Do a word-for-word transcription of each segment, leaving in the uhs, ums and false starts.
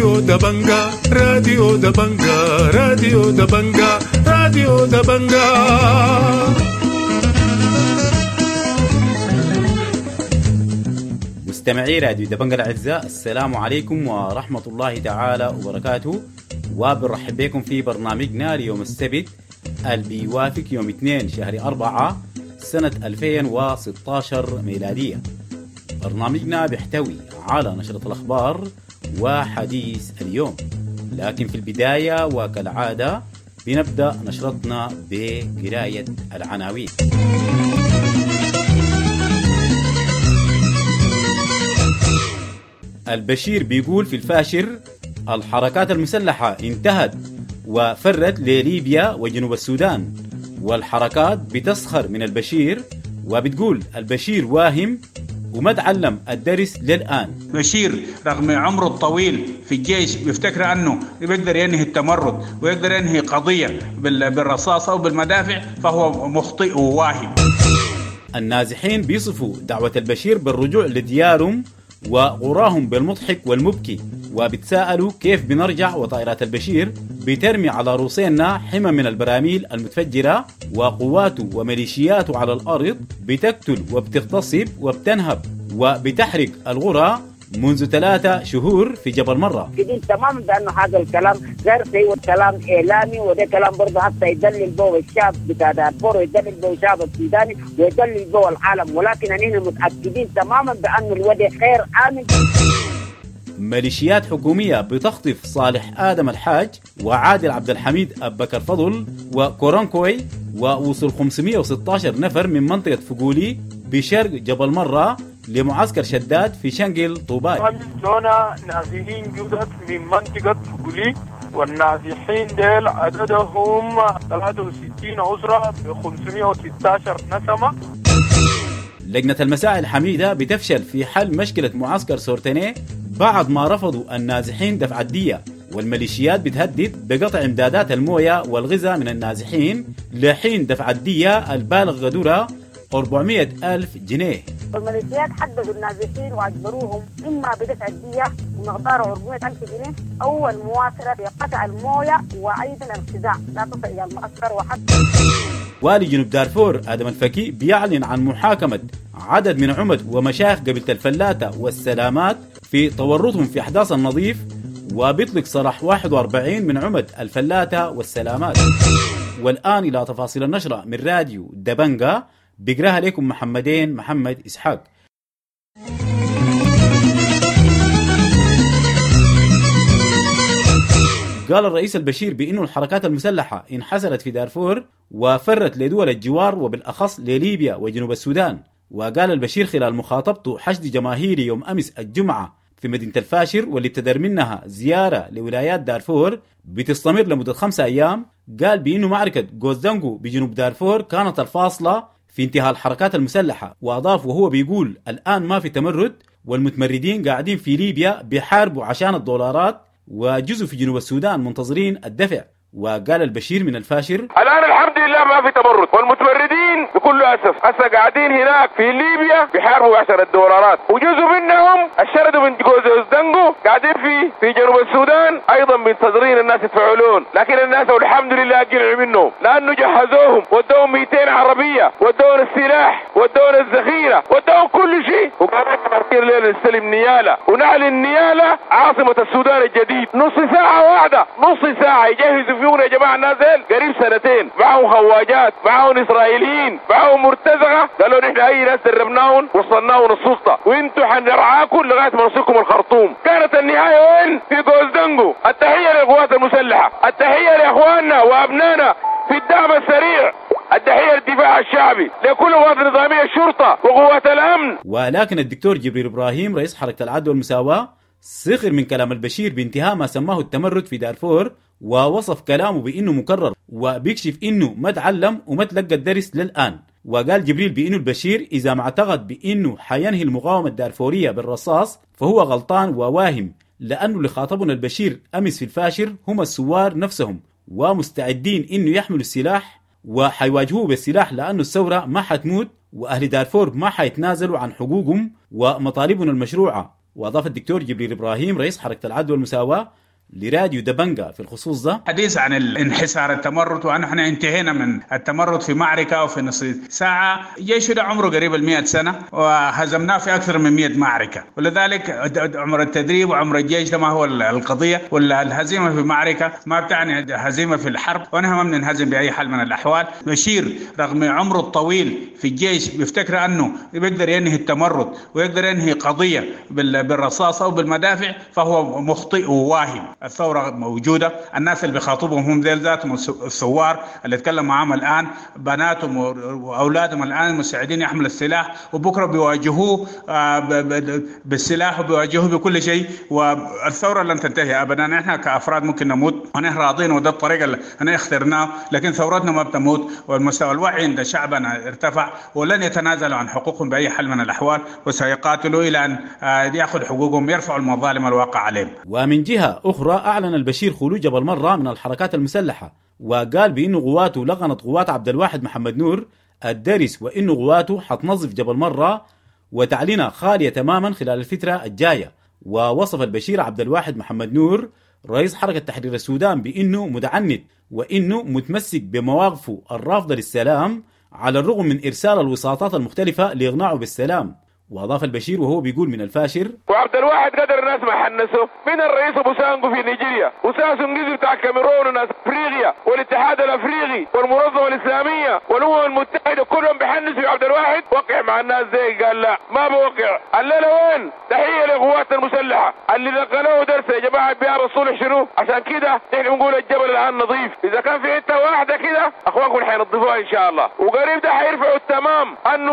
راديو دبنجا راديو دبنجا راديو دبنجا راديو دبنجا. مستمعي راديو دبنجا الأعزاء، السلام عليكم ورحمة الله تعالى وبركاته، وبنرحب بكم في برنامجنا ليوم السبت اللي بيوافق يوم اثنين شهر أربعة سنة ألفين وستة عشر ميلادية. برنامجنا بيحتوي على نشرة الأخبار وحديث اليوم، لكن في البداية وكالعادة بنبدأ نشرتنا بقراية العناوين. البشير بيقول في الفاشر الحركات المسلحة انتهت وفرت لليبيا وجنوب السودان، والحركات بتسخر من البشير وبتقول البشير واهم وما تعلم الدرس للآن. بشير رغم عمره الطويل في الجيش بيفتكر أنه بيقدر ينهي التمرد ويقدر ينهي قضية بالرصاص أو بالمدافع، فهو مخطئ وواهم. النازحين بيصفوا دعوة البشير بالرجوع لديارهم وغراهم بالمضحك والمبكي، وبتساءلوا كيف بنرجع وطائرات البشير بترمي على روسينا حمى من البراميل المتفجرة، وقواته وميليشياته على الأرض بتقتل وبتغتصب وبتنهب وبتحرق الغرى منذ ثلاثة شهور في جبل مرة. جديد تماما بأنه هذا الكلام غير صحيح، والكلام إعلامي، وده كلام برضه حتى يدلل به الشعب بتاع دارفور ويدلل به الشعب السوداني ويدلل به العالم، ولكن أننا متأكدين تماما بأن الوضع غير آمن. ميليشيات حكومية بتخطف صالح آدم الحاج وعادل عبد الحميد أبكر فضل وكورانكوي، ووصل خمسمائة وستة عشر نفر من منطقة فقولي بشرق جبل مرة لمعسكر شداد في شنقل طوباي. جونا نازحين جدد من منطقة فقولي، والنازحين ديل عددهم ثلاثة وستين أسرة ب خمسمائة وستة عشر نسمة. لجنة المساعي الحميدة بتفشل في حل مشكلة معسكر سورتيني بعد ما رفضوا النازحين دفع الدية، والميليشيات بتهدد بقطع امدادات المويه والغذاء من النازحين لحين دفع الدية البالغ قدرها أربعمائة ألف جنيه. الميليشيات حددوا النازحين واجبروهم اما بدفع الدية بمقدار أربعمائة ألف جنيه او المواصلة بقطع المويه وايضا الغذاء لا تصل الى المعسكر. وحتى والي جنوب دارفور آدم الفكي بيعلن عن محاكمة عدد من عمد ومشايخ قبيلة الفلاتة والسلامات في تورطهم في أحداث النظيف، وبيطلق سراح واحد وأربعين من عمد الفلاتة والسلامات. والآن إلى تفاصيل النشرة من راديو دبنجا، بيقراها لكم محمدين محمد إسحاق. قال الرئيس البشير بأنه الحركات المسلحة انحسرت في دارفور وفرت لدول الجوار وبالأخص لليبيا وجنوب السودان. وقال البشير خلال مخاطبته حشد جماهيري يوم أمس الجمعة في مدينة الفاشر واللي ابتدر منها زيارة لولايات دارفور بتستمر لمدة خمسة أيام، قال بأنه معركة جوزدانجو بجنوب دارفور كانت الفاصلة في انتهاء الحركات المسلحة. وأضاف وهو بيقول الآن ما في تمرد، والمتمردين قاعدين في ليبيا بيحاربوا عشان الدولارات، وجزء في جنوب السودان منتظرين الدفع. وقال البشير من الفاشر الآن الحمد لله ما في تمرد، والمتمردين بكل أسف هسه قاعدين هناك في ليبيا بيحاربوا عشان الدولارات، وجزء منهم الشردوا من جوزدانجو قاعدين في في جنوب السودان أيضا منتظرين الناس يدفعوا، لكن الناس والحمد لله قلعوا منهم لأنه جهزوهم ودوهم مئتين عربية ودوهم السلاح ودوهم الذخيرة ودوهم كل شيء، وقالوا ليلة نستلم نيالة ونعلن نيالة عاصمة السودان الجديد. نص ساعة واحدة نص ساعة يجهزوا فيه يا جماعة الناس قريب سنتين، معهم خواجات معهم إسرائيليين معهم مرتزقة، قالوا نحن أي ناس دربناهم وصلناهم السلطة وانتوا حنرعاكم لغاية ما نوصلكم الخرطوم. كانت النهاية وين؟ في جوزدانجو. التحية للقوات المسلحة، التحية لإخواننا وأبنائنا في الدعم السريع، التحية للدفاع الشعبي، لكل قوات النظامية الشرطة وقوات الأمن. ولكن الدكتور جبريل إبراهيم رئيس حركة العدل والمساواة سخر من كلام البشير بانتهاء ما سماه التمرد في دارفور، ووصف كلامه بأنه مكرر وبيكشف أنه ما تعلم وما تلقى الدرس للآن. وقال جبريل بأنه البشير إذا ما اعتقد بأنه حينهي المقاومة الدارفورية بالرصاص فهو غلطان وواهم، لأنه اللي خاطبنا البشير أمس في الفاشر هم الثوار نفسهم ومستعدين أنه يحملوا السلاح وحيواجهوه بالسلاح، لأنه الثورة ما حتموت وأهل دارفور ما حيتنازلوا عن حقوقهم ومطالبهم المشروعة. وأضاف الدكتور جبريل إبراهيم رئيس حركة العدل والمساواة لراديو دبنجا في الخصوص ده: حديث عن الانحسار التمرد وأن انتهينا من التمرد في معركة وفي نصف ساعة. جيش ده عمره قريب المئة سنة وهزمناه في أكثر من مئة معركة، ولذلك عمر التدريب وعمر الجيش ده ما هو القضية، ولا الهزيمة في معركة ما بتعني هزيمة في الحرب، ونحن ما بننهزم بأي حال من الأحوال. بشير رغم عمره الطويل في الجيش بيفتكر أنه بيقدر ينهي التمرد ويقدر ينهي قضية بالرصاص أو بالمدافع، فهو مخطئ وواهم. الثورة موجودة، الناس اللي بيخاطبهم هم ذيل ذاتهم الثوار اللي اتكلم معاهم الآن، بناتهم وأولادهم الآن مستعدين يحملوا السلاح، وبكرة بيواجهوه بالسلاح وبيواجهوه بكل شيء، والثورة لن تنتهي أبدا. نحن كأفراد ممكن نموت ونحن راضين وده الطريقة اللي احنا اخترناه، لكن ثورتنا ما بتموت، والمستوى الوعي عند شعبنا ارتفع، ولن يتنازلوا عن حقوقهم بأي حال من الأحوال، وسيقاتلوا إلى أن يأخذ حقوقهم، يرفعوا المظالم الواقع عليهم. ومن جهة أخرى أعلن البشير خروج جبل مرة من الحركات المسلحة، وقال بأنه قواته لغنت قوات عبد الواحد محمد نور الدرس، وأنه قواته حتنظف جبل مرة وتعلينها خالية تماما خلال الفترة الجاية. ووصف البشير عبد الواحد محمد نور رئيس حركة تحرير السودان بأنه متعنت وأنه متمسك بمواقفه الرافضة للسلام على الرغم من إرسال الوساطات المختلفة لإغناعه بالسلام. وأضاف البشير وهو بيقول من الفاشر: وعبد الواحد قدر الناس ما حنسوا من الرئيس ابو سانجو في نيجيريا وساسو نجيزو بتاع الكاميرون وناس افريقيا والاتحاد الافريقي والمنظمه الاسلامية والامم المتحدة كلهم بيحنسوا عبد الواحد. وقع مع الناس زي قال لا ما بوقع. الليلة وين؟ تحية للقوات المسلحة اللي نقلوه درس يا جماعة بيار الصلح شنو. عشان كده نحن بنقول الجبل الان نظيف، اذا كان في حتة واحدة كده اخوانكم حينظفوها ان شاء الله، وقريب ده حيرفعوا التمام انه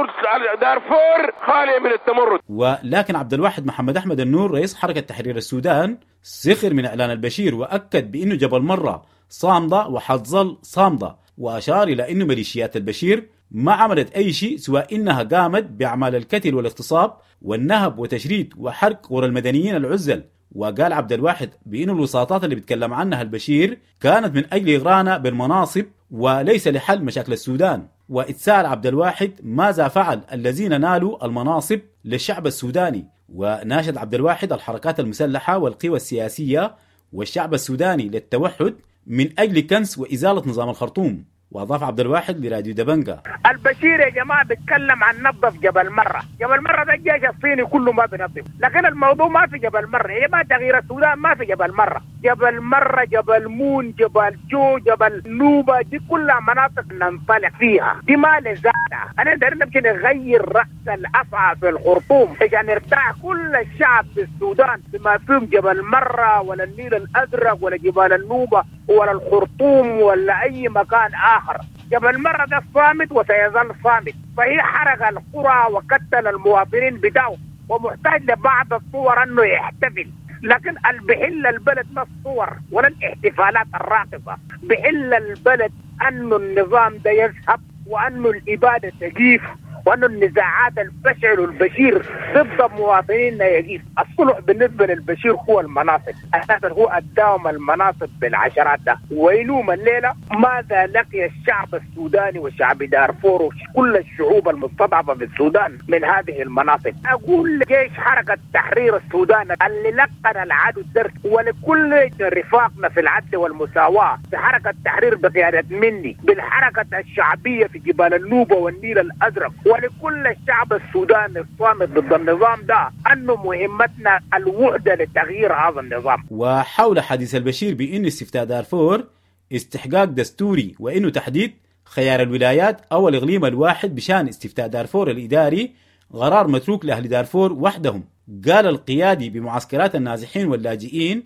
دارفور خالية من التمرد. ولكن عبد الواحد محمد أحمد النور رئيس حركة تحرير السودان سخر من إعلان البشير وأكد بأنه جبل مرة صامدة وحتظل صامدة، وأشار إلى أنه ميليشيات البشير ما عملت أي شيء سوى إنها قامت بأعمال القتل والاغتصاب والنهب وتشريد وحرق قرى المدنيين العزل. وقال عبد الواحد بأن الوساطات اللي بيتكلم عنها البشير كانت من أجل إغرانا بالمناصب وليس لحل مشاكل السودان. واتساءل عبد الواحد ماذا فعل الذين نالوا المناصب للشعب السوداني. وناشد عبد الواحد الحركات المسلحة والقوى السياسية والشعب السوداني للتوحد من أجل كنس وإزالة نظام الخرطوم. وأضاف عبد الواحد لراديو دبنجا: البشير يا جماعة بيتكلم عن نظف جبل مرة، جبل مرة ده الجيش الصيني كله ما بينظف، لكن الموضوع ما في جبل مرة يا جماعة، تغيير السودان ما في جبل مرة، جبل مرة جبل مون جبل جو جبل نوبة دي كلها مناطق ننطلق فيها، دي ما لزالة. أنا دايرين نمشي نغير رأس الأفعى في الخرطوم عشان يرتاح كل الشعب في السودان بما فيهم جبل مرة ولا النيل الأزرق ولا جبال النوبة ولا الخرطوم ولا أي مكان آخر. جبل مرة ده صامت وسيظل صامت، فهي حرق القرى وقتل المواطنين بتاعه ومحتاج لبعض الصور أنه يحتفل، لكن بحل البلد ما الصور ولا الاحتفالات الراقصة، بحل البلد أنه النظام ده يذهب وأنه الإبادة تجيف وأنه النزاعات الفشل والبشير ضد مواطنينا يجيف. الصلح بالنسبة للبشير هو المناصب، أساسا هو أداهم المناصب بالعشرات ده. ويلوم الليلة ماذا لقي الشعب السوداني وشعب دارفور وكل الشعوب المستضعفة في السودان من هذه المناصب. أقول لجيش حركة تحرير السودان اللي لقن العدو الدرس، ولكل رفاقنا في العدل والمساواة في حركة التحرير بقيادة مني بالحركة الشعبية في جبال النوبة والنيل الأزرق، ولكل الشعب السوداني الصامت ضد النظام ده، أنه مهمتنا الوحدة لتغيير هذا النظام. وحول حديث البشير بأن استفتاء دارفور استحقاق دستوري وأنه تحديد خيار الولايات أو الإقليم الواحد بشان استفتاء دارفور الإداري قرار متروك لأهل دارفور وحدهم، قال القيادي بمعسكرات النازحين واللاجئين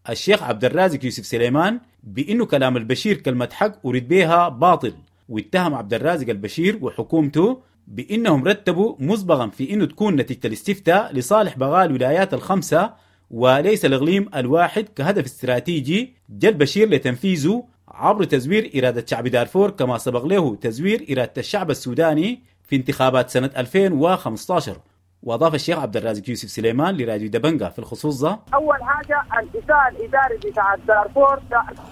الشيخ عبد الرازق يوسف سليمان بأنه كلام البشير كلمة حق أريد بها باطل. واتهم عبد الرازق البشير وحكومته بأنهم رتبوا مسبقا في أنه تكون نتيجة الاستفتاء لصالح بغاء الولايات الخمسة وليس الإقليم الواحد كهدف استراتيجي جاء البشير لتنفيذه عبر تزوير إرادة شعب دارفور كما سبق له تزوير إرادة الشعب السوداني في انتخابات سنة ألفين وخمسة عشر. وأضاف الشيخ عبد الرازق يوسف سليمان لراديو دبنجا في الخصوص ده: أول حاجة الإساءة الإداري بتاع دارفور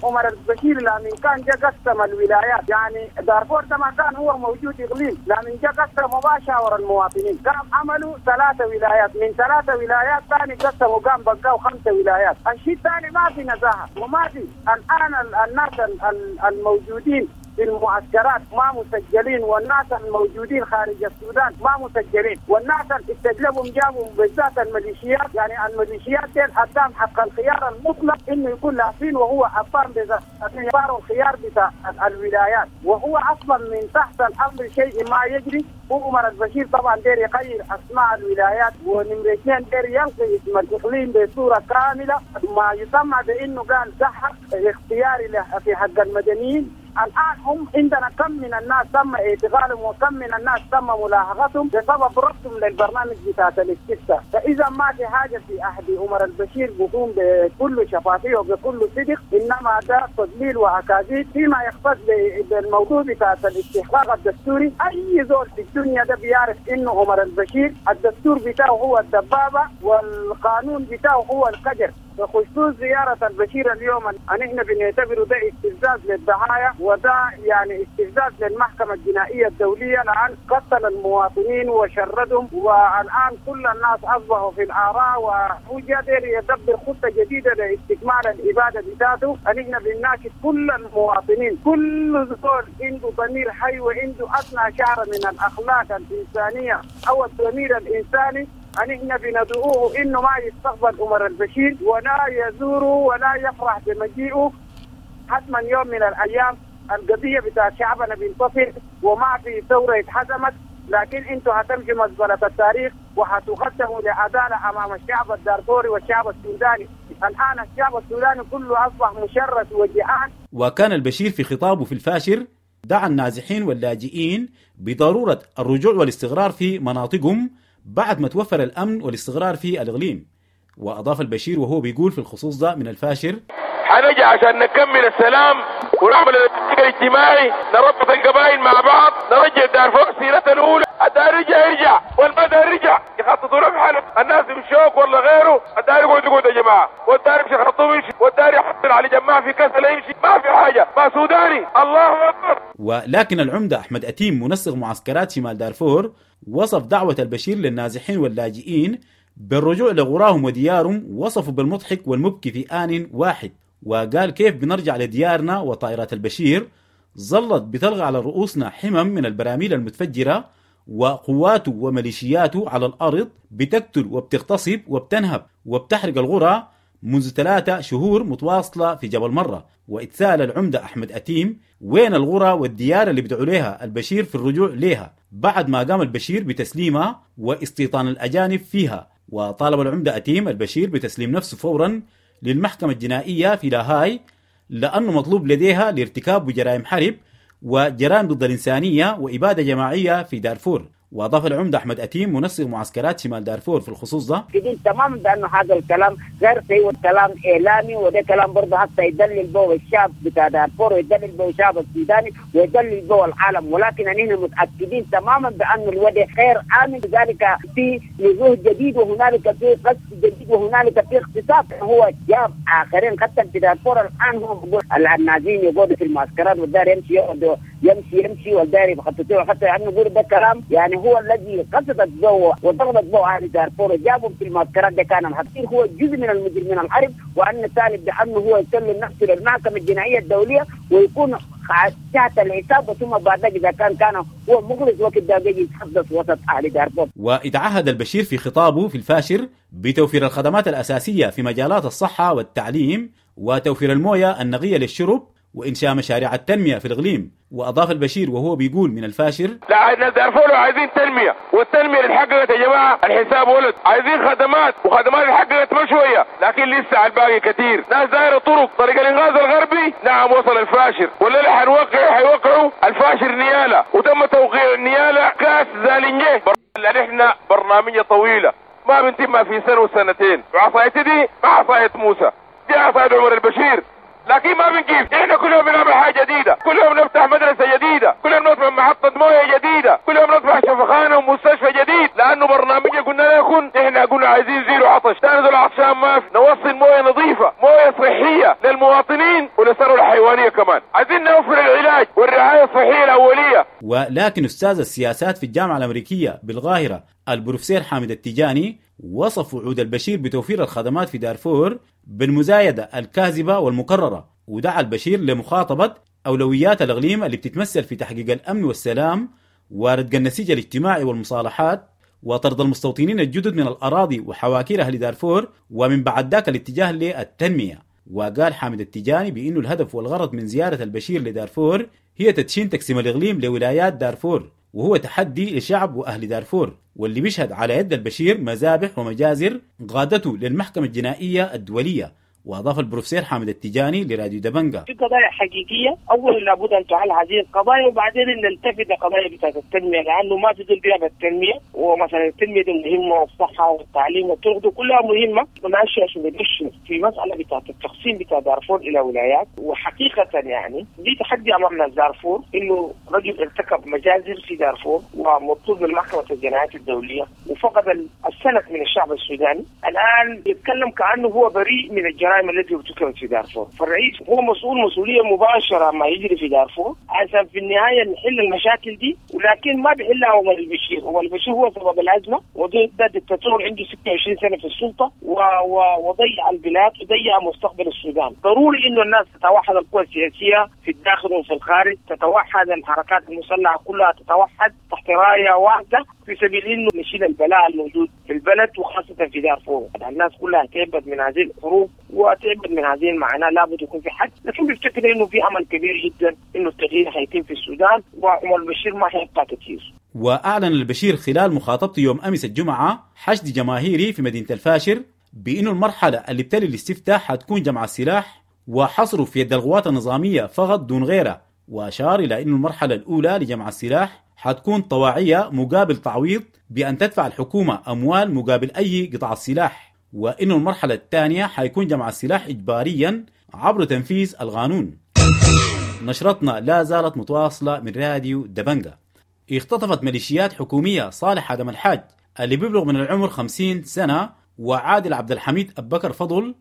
عمر البشير لمن كان جا قسم الولايات، يعني دارفور ده ما كان هو موجود إقليم، لمن جا قسم مباشرة المواطنين، قام عملوا ثلاثة ولايات، من ثلاثة ولايات ثاني قسموا قام بقوا خمسة ولايات. الشيء الثاني ما في نزاهة وما في الآن الناس الموجودين في المعسكرات ما مسجلين، والناس الموجودين خارج السودان ما مسجلين، والناس اللي استجلبهم جابوا بالذات الميليشيات، يعني الميليشيات دي قدام حق الخيار المطلق انه يكون لافين، وهو اصلا بذات الخيار بتاع الولايات، وهو اصلا من تحت الامر شيء ما يجري. وعمر البشير طبعا دير يغير اسماء الولايات، ونمرة اثنين دير يلغي اسم الاقليم بصوره كامله، ما يسمى بانه قال ده حق اختياري في حق المدنيين. الآن هم عندنا كم من الناس تم اعتقالهم وكم من الناس تم ملاحقتهم بسبب رفضهم للبرنامج بتاع الاستفتاء. فإذا ما في حاجة في عهد عمر البشير بيقوم بكل شفافية وبكل صدق، إنما ده تضليل وأكاذيب فيما يختص بالموضوع بتاع الاستحقاق الدستوري. أي زول في الدنيا ده بيعرف إنه عمر البشير الدستور بتاعه هو الدبابة والقانون بتاعه هو القدر. بخصوص زيارة البشير اليوم نحن بنعتبره ده استفزاز للضحايا، وده يعني استفزاز للمحكمة الجنائية الدولية، لأن قتل المواطنين وشردهم، والآن كل الناس أصبحوا في الآراء، وهو قادر يدبر خطة جديدة لاستكمال الإبادة بتاعته. نحن بنناشد كل المواطنين، كل زول عنده ضمير حي وعنده أدنى شعر من الأخلاق الإنسانية أو الضمير الإنساني، نحن بندعوه إنه ما يستقبل عمر البشير ولا يزوره ولا يفرح بمجيئه. حتما يوم من الأيام القضية بتاع شعبنا بينتصر وما في ثورة اتحزمت، لكن انتوا هتمشوا مزبلة التاريخ وهتقدموا لعدالة أمام الشعب الدارفوري والشعب السوداني. الآن الشعب السوداني كله أصبح مشرد وجعان. وكان البشير في خطابه في الفاشر دعا النازحين واللاجئين بضرورة الرجوع والاستقرار في مناطقهم بعد ما توفر الأمن والاستقرار في الإقليم. وأضاف البشير وهو بيقول في الخصوص ده من الفاشر: حنجي عشان نكمل السلام ونعمل الاتفاق الاجتماعي، نربط القبائل مع بعض، نرجع دارفور سيرتها الأولى. الدار يرجع يرجع والمدى يرجع، يخططوا له بحاله الناس بشوك ولا غيره. الدار يقعد يقعد يا جماعة، والدار يمشي خرطوم يمشي، والدار يحصل على جماعة في كسل يمشي، ما في حاجة، ما سوداني. الله أكبر. ولكن العمدة أحمد أتيم منسق معسكرات شمال دارفور وصف دعوة البشير للنازحين واللاجئين بالرجوع لغراهم وديارهم، وصفوا بالمضحك والمبكي في آن واحد، وقال كيف بنرجع لديارنا وطائرات البشير ظلت بتلغى على رؤوسنا حمم من البراميل المتفجرة، وقواته وميليشياته على الأرض بتقتل وبتغتصب وبتنهب وبتحرق الغرى منذ ثلاثة شهور متواصلة في جبل مرة. واتسال العمدة أحمد أتيم وين الغرى والديار اللي بدعوا لها البشير في الرجوع لها بعد ما قام البشير بتسليمها واستيطان الأجانب فيها. وطالب العمدة أتيم البشير بتسليم نفسه فورا للمحكمة الجنائية في لاهاي لأنه مطلوب لديها لارتكاب جرائم حرب وجرائم ضد الإنسانية وإبادة جماعية في دارفور. وأضاف العمدة أحمد أتيم منسق معسكرات شمال دارفور في الخصوص ده: تماما بأنه هذا الكلام غير صحيح، كلام إعلامي، وده كلام برضه حتى يدلل به الشعب بتاع دارفور ويدلل به الشعب السوداني ويدلل به العالم، ولكن نحن متأكدين تماما بأن الوضع غير آمن. لذلك في نزوح جديد وهنالك في قصف جديد وهنالك في اغتصاب. هو جاب آخرين حتى في دارفور الآن هم بيقول النازين يقعدوا في المعسكرات والدار يمشي يقعدوا يمشي يمشي والدار يخططوا حتى يعني نقول ده كلام يعني هو الذي قصدت به وضربت به أهل دارفور وجابهم في المعسكرات ده كان الحقير هو جزء من المجرمين الحرب، وأن الثالث بأنه هو يسلم نفسه للمحكمة الجنائية الدولية ويكون تحت الحساب، ثم بعد ذلك إذا كان كان هو مخلص وقت ده يجي يتحدث وسط أهل دارفور. وإتعهد البشير في خطابه في الفاشر بتوفير الخدمات الأساسية في مجالات الصحة والتعليم وتوفير الموية النقية للشرب وإنشاء مشاريع التنمية في الإقليم. وأضاف البشير وهو بيقول من الفاشر: لا الناس دارفور عايزين تنمية، والتنمية اللي اتحققت يا جماعة الحساب ولد، عايزين خدمات وخدمات اتحققت ما شوية لكن لسه على الباقي كثير. ناس دايرة طرق، طريق الإنغاز الغربي نعم وصل الفاشر، ولا اللي حنوقعه حيوقعوا الفاشر نيالة، وتم توقيع النيالة كاس زالنجيه. لأن احنا برنامجية طويلة ما بنتم في سنة وسنتين، وعصايتي دي ما عصاية موسى، دي عصاية عمر البشير، لكن ما بنجيب. احنا كل يوم بنعمل حاجه جديده، كل يوم نفتح مدرسه جديده، كل يوم نفتح محطه مويه جديده، كل يوم نفتح شفخانه ومستشفى جديد، لانه برنامجنا قلنا العطشان ما في، نوصل مويه نظيفة، مويه صحية للمواطنين وللثروه الحيوانية كمان. عايزين نوفر العلاج والرعاية الصحية الاولية. ولكن استاذ السياسات في الجامعة الامريكية بالقاهرة البروفيسور حامد التجاني وصف وعود البشير بتوفير الخدمات في دارفور بالمزايدة الكاذبة والمكررة، ودعا البشير لمخاطبة أولويات الإقليم اللي بتتمثل في تحقيق الأمن والسلام وردق النسيج الاجتماعي والمصالحات وطرد المستوطنين الجدد من الأراضي وحواكير أهل دارفور، ومن بعد ذاك الاتجاه للتنمية. وقال حامد التجاني بأنه الهدف والغرض من زيارة البشير لدارفور هي تدشين تقسيم الإقليم لولايات دارفور، وهو تحدي لشعب وأهل دارفور، واللي بيشهد على يد البشير مذابح ومجازر قادته للمحكمة الجنائية الدولية. وأضاف البروفيسور حامد التجاني لراديو دبنجا: في قضايا حقيقية، أولا لابد أن تعال هذه القضايا، وبعدين نلتفت لقضايا بتاعت التنمية، لأنه ما في زول بيعمل التنمية، ومثلا التنمية دي مهمة، والصحة والتعليم والطرق دي كلها مهمة. ماشي عشان ندش في مسألة بتاعت التقسيم بتاع دارفور إلى ولايات. وحقيقة يعني دي تحدي أمامنا دارفور، إنه رجل ارتكب مجازر في دارفور ومطلوب من محكمة الجنايات الدولية وفقد السند من الشعب السوداني، الآن يتكلم كأنه هو بريء من الجرائم التي ارتكبت في دارفور. فالرئيس هو مسؤول مسؤولية مباشرة ما يجري في دارفور، عشان في النهاية نحل المشاكل دي، ولكن ما بيحلها عمر البشير. عمر البشير هو سبب الازمة، وده دكتاتور عنده ستة وعشرين سنة في السلطة وضيع البلاد وضيع مستقبل السودان. ضروري انه الناس تتوحد، القوى السياسية في الداخل وفي الخارج تتوحد، الحركات المسلحة كلها تتوحد تحت رايه واحدة في سبيل انه نشيل البلاء الموجود في البلد وخاصة في دارفور. الناس كلها تعبت من هذه الحروب وتعبت من هذه المعاناة، لابد يكون في حد. لكن بفتكر انه في امل كبير جدا انه التغيير حيتم في السودان، وعمر البشير ما حيبقى كثير. واعلن البشير خلال مخاطبته يوم امس الجمعة حشد جماهيري في مدينة الفاشر بانه المرحلة اللي بتلي الاستفتاء حتكون جمع السلاح وحصره في يد القوات النظامية فقط دون غيرها، واشار الى انه المرحلة الاولى لجمع السلاح حتكون طواعيه مقابل تعويض بان تدفع الحكومة اموال مقابل اي قطع السلاح، وإنه المرحلة الثانية حيكون جمع السلاح إجباريا عبر تنفيذ القانون. نشرتنا لا زالت متواصلة من راديو دبنجا. اختطفت ميليشيات حكومية صالح آدم الحاج اللي بيبلغ من العمر خمسين سنة، وعادل عبد الحميد أبكر فضل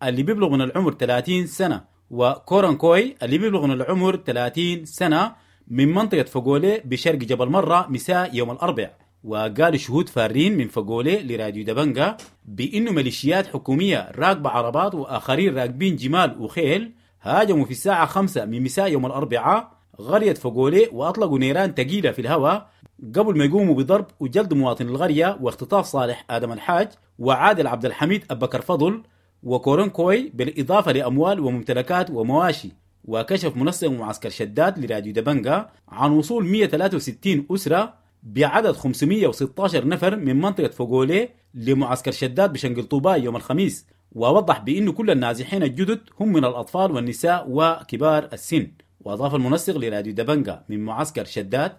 اللي بيبلغ من العمر ثلاثين سنة، وكورنكوي اللي بيبلغ من العمر ثلاثين سنة من منطقة فقولي بشرق جبل مرة مساء يوم الأربعاء. وقال شهود فارين من فقولي لراديو دبنجا بأنه ميليشيات حكومية راكبة عربات وآخرين راكبين جمال وخيل هاجموا في الساعة خمسة من مساء يوم الأربعاء قرية فقولي وأطلقوا نيران ثقيلة في الهواء قبل ما يقوموا بضرب وجلد مواطن القرية واختطاف صالح آدم الحاج وعادل عبد الحميد أبكر فضل وكورنكوي بالإضافة لأموال وممتلكات ومواشي. وكشف منسق معسكر شداد لراديو دبنجا عن وصول مئة وثلاثة وستين أسرة بعدد خمسمئة وستة عشر نفر من منطقة فوغولي لمعسكر شداد بشنقل طوباي يوم الخميس، ووضح بأن كل النازحين الجدد هم من الأطفال والنساء وكبار السن. وأضاف المنسق لراديو دبنجا من معسكر شداد: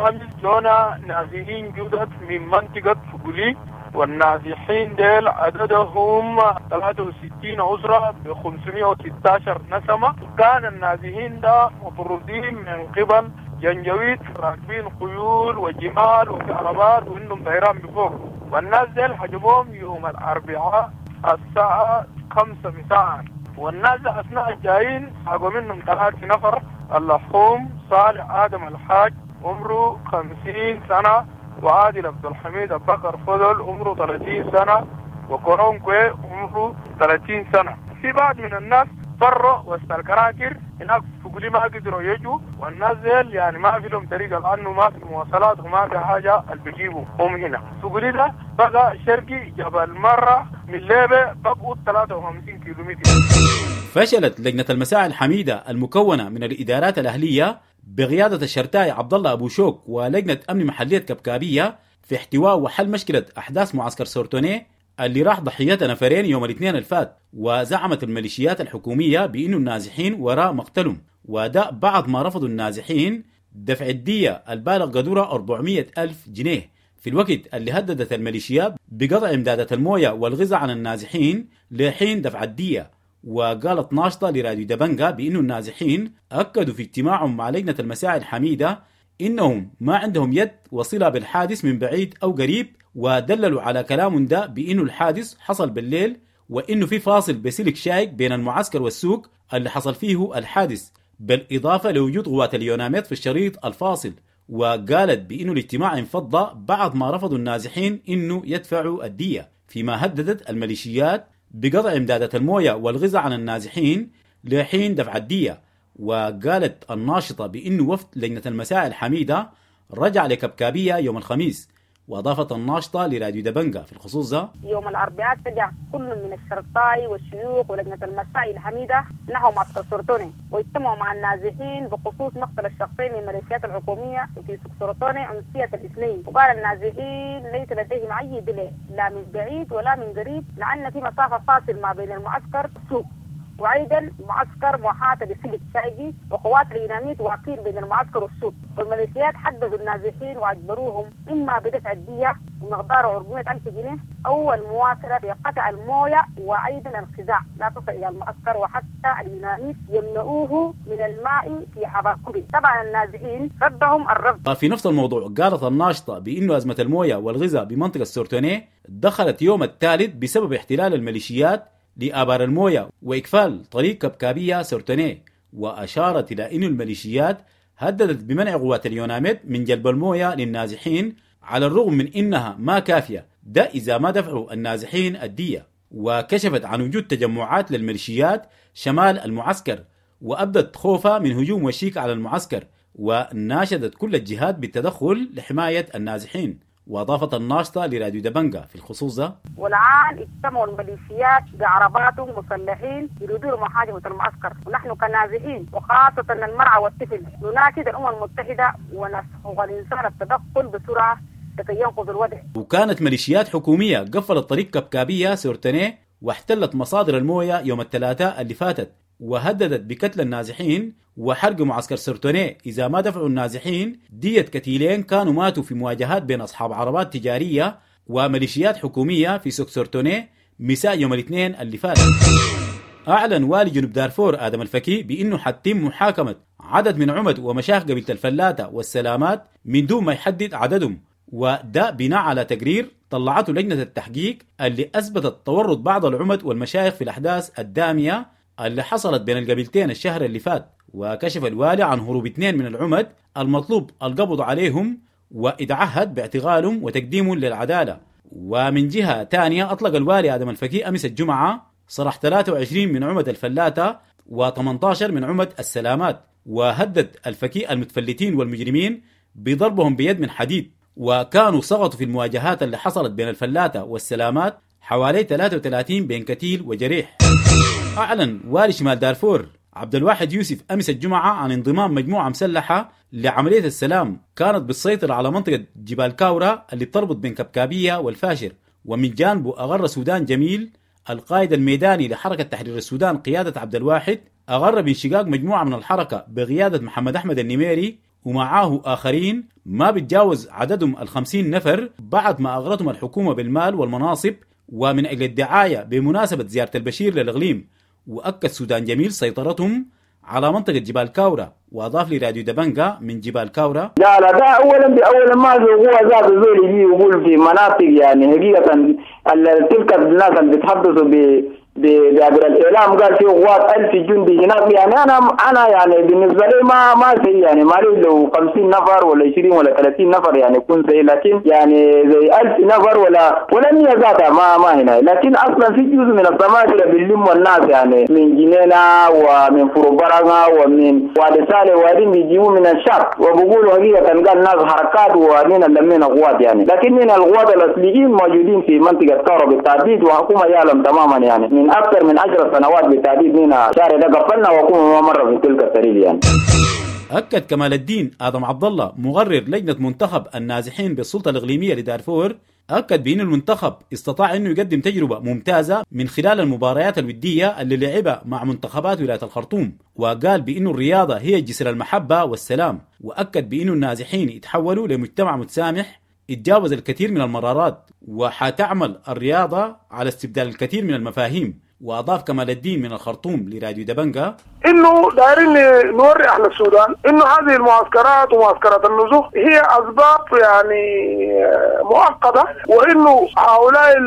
جونا نازحين جدد من منطقة فوغولي، والنازحين ديل عددهم ثلاثة وستين أسرة ب خمسمئة وستة عشر نسمة. كان النازحين ده مطرودين من قبل جنجويد راكبين خيول وجمال وكهربات وإنهم طيران بفوق، والناس ديل حجبوهم يوم الأربعاء الساعة خمسة مساء، والناس أثناء الجايين حقوا منهم ثلاثة نفر، اللحوم صالح آدم الحاج عمره خمسين سنة، وعادل عبد الحميد أبكر فضل عمره ثلاثين سنة، وكورونكوي عمره ثلاثين سنة. في بعض من الناس فروا وسط الكراكر هناك فقولي ما قدروا يجوا، والناس ديل يعني ما في لهم طريقة لأنه ما في مواصلات وما في حاجة اللي بيجيبوا هم هنا. فقولي ده بقى شرقي جبل مرة من ليبة بقوا ثلاثة وخمسين كيلومتر. فشلت لجنة المساعي الحميدة المكونة من الإدارات الأهلية بقيادة الشرتاي عبد الله أبو شوك ولجنة أمن محلية كبكابية في احتواء وحل مشكلة أحداث معسكر سورتوني اللي راح ضحيتها نفرين يوم الاثنين الفات. وزعمت الميليشيات الحكومية بأنه النازحين وراء مقتلهم، وده بعد ما رفضوا النازحين دفع الدية البالغ قدرها أربعمئة ألف جنيه في الوقت اللي هددت الميليشيات بقطع إمدادات الموية والغذاء عن النازحين لحين دفع الدية. وقالت ناشطة لراديو دبنجا بأنه النازحين أكدوا في اجتماعهم مع لجنة المساعي الحميدة إنهم ما عندهم يد وصلة بالحادث من بعيد أو قريب، ودللوا على كلام ده بأنه الحادث حصل بالليل وإنه في فاصل بسلك شائك بين المعسكر والسوق اللي حصل فيه الحادث، بالإضافة لوجود قوات اليوناميد في الشريط الفاصل. وقالت بأنه الاجتماع انفض بعد ما رفضوا النازحين إنه يدفعوا الدية، فيما هددت الميليشيات بقطع إمدادات الموية والغذاء عن النازحين لحين دفع الدية. وقالت الناشطة بأنه وفد لجنة المساعي الحميدة رجع لكبكابية يوم الخميس. وأضافت الناشطة لراديو دبنجة في الخصوص ده: يوم الأربعاء اتجه كل من الشرطاي والشيوخ ولجنة المساعي الحميدة نحو معسكر سورتوني، واجتمعوا مع النازحين بخصوص مقتل الشخصين من الميليشيات الحكومية في سوق سورتوني أمسية الاثنين. وقال النازحين ليس لديهم أي دليل لا من بعيد ولا من قريب، لأن في مسافة فاصل ما بين المعسكر والسوق، وايضا معسكر محاطه بسلك شائكي وقوات اليوناميت واقفين بين المعسكر والسوق. والميليشيات حددوا النازحين واجبروهم اما بدفع الدية بمقدار أربعمائة ألف جنيه او المواصلة في قطع المويه وايضا الخزاع لا تصل الى المعسكر، وحتى اليوناميت يمنعوه من الماء في حباكوري. طبعا النازحين ردهم الرفض. في نفس الموضوع قالت الناشطه بانه ازمة المويه والغذاء بمنطقة سورتوني دخلت يوم الثالث بسبب احتلال الميليشيات لآبار الموية وإقفال طريق كبكابية سورتوني. وأشارت إلى أن الميليشيات هددت بمنع قوات اليوناميد من جلب الموية للنازحين على الرغم من إنها ما كافية، ده إذا ما دفعوا النازحين الدية. وكشفت عن وجود تجمعات للميليشيات شمال المعسكر، وأبدت خوفها من هجوم وشيك على المعسكر، وناشدت كل الجهات بالتدخل لحماية النازحين. وأضافت الناشطة لراديو دبنجة في الخصوص ده: والآن اجتمعوا الميليشيات بعرباتهم مسلحين يريدون محاجمة المعسكر، ونحن كنازحين وخاصة المرأة والطفل نناشد الأمم المتحدة ونسحق الإنسان التدخل بسرعة لكي ينقذ الوضع. وكانت ميليشيات حكومية قفلت طريق كبكابية سورتوني واحتلت مصادر الموية يوم الثلاثاء اللي فاتت، وهددت بقتل النازحين وحرق معسكر سورتوني إذا ما دفعوا النازحين دية كتيلين كانوا ماتوا في مواجهات بين أصحاب عربات تجارية وميليشيات حكومية في سوق سورتوني مساء يوم الاثنين اللي فات. أعلن والي جنوب دارفور آدم الفكي بأنه حتم محاكمة عدد من عمد ومشايخ قبيلة الفلاتة والسلامات من دون ما يحدد عددهم، وده بناء على تقرير طلعته لجنة التحقيق اللي أثبتت تورط بعض العمد والمشايخ في الأحداث الدامية اللي حصلت بين القبيلتين الشهر اللي فات. وكشف الوالي عن هروب اثنين من العمد المطلوب القبض عليهم وإتعهد باعتقالهم وتقديمهم للعدالة. ومن جهة تانية أطلق الوالي آدم الفكي أمس الجمعة صرح ثلاثة وعشرين من عمد الفلاتة وثمانية عشر من عمد السلامات، وهدد الفكي المتفلتين والمجرمين بضربهم بيد من حديد. وكانوا سقطوا في المواجهات اللي حصلت بين الفلاتة والسلامات حوالي ثلاثة وثلاثين بين كتيل وجريح. أعلن والي شمال دارفور عبد الواحد يوسف أمس الجمعة عن انضمام مجموعة مسلحة لعملية السلام كانت بالسيطرة على منطقة جبال كاورا اللي بتربط بين كبكابية والفاشر. ومن جانبه أغر سودان جميل القائد الميداني لحركة تحرير السودان قيادة عبد الواحد أغر بانشقاق مجموعة من الحركة بقيادة محمد أحمد النميري ومعاه آخرين ما بتجاوز عددهم الخمسين نفر بعد ما أغرتهم الحكومة بالمال والمناصب ومن أجل الدعاية بمناسبة زيارة البشير للإقليم. وأكد سودان جميل سيطرتهم على منطقة جبال كاورا. وأضاف لراديو دبنجا من جبال كاورا: لا لا ده أولا بأولا ما هو ذات الزول يجي يقول في مناطق يعني حقيقة تلك الناس اللي بيتحدثوا ب بعبر الإعلام قال في قوات ألف جندي هناك، يعني أنا أنا يعني بالنسبة لي ما ما سيء، يعني ما لي لو خمسين نفر ولا عشرين ولا ثلاثين نفر يعني يكون سيء، لكن يعني زي ألف نفر ولا ولا مية ذاتها ما ما هنا. لكن أصلا في جزء من السماكرة باللم والناس يعني من جنينة ومن فروبرغة ومن وادي سالي وادي بيجيبوا من الشرق وبقولوا حقيقة قال ناس حركات ونحن لمينا قوات يعني، لكن من القوات الأصليين موجودين في منطقة كاورا بالتحديد وحكومة يعلم تماما يعني من أكثر من عشر سنوات بالتحديد من شهر ده قفلنا وحكومة ما مرة في تلك الطريق يعني. أكد كمال الدين آدم عبد الله مغرر لجنة منتخب النازحين بالسلطة الإقليمية لدارفور أكد بأن المنتخب استطاع أنه يقدم تجربة ممتازة من خلال المباريات الودية اللي لعبها مع منتخبات ولاية الخرطوم، وقال بأن الرياضة هي جسر المحبة والسلام، وأكد بأن النازحين يتحولوا لمجتمع متسامح يتجاوز الكثير من المرارات، وحتعمل الرياضة على استبدال الكثير من المفاهيم. وأضاف كمال الدين من الخرطوم لراديو دبنجا: انه دايرين نوري اهل السودان انه هذه المعسكرات ومعسكرات النزوح هي اسباب يعني مؤقته، وانه هؤلاء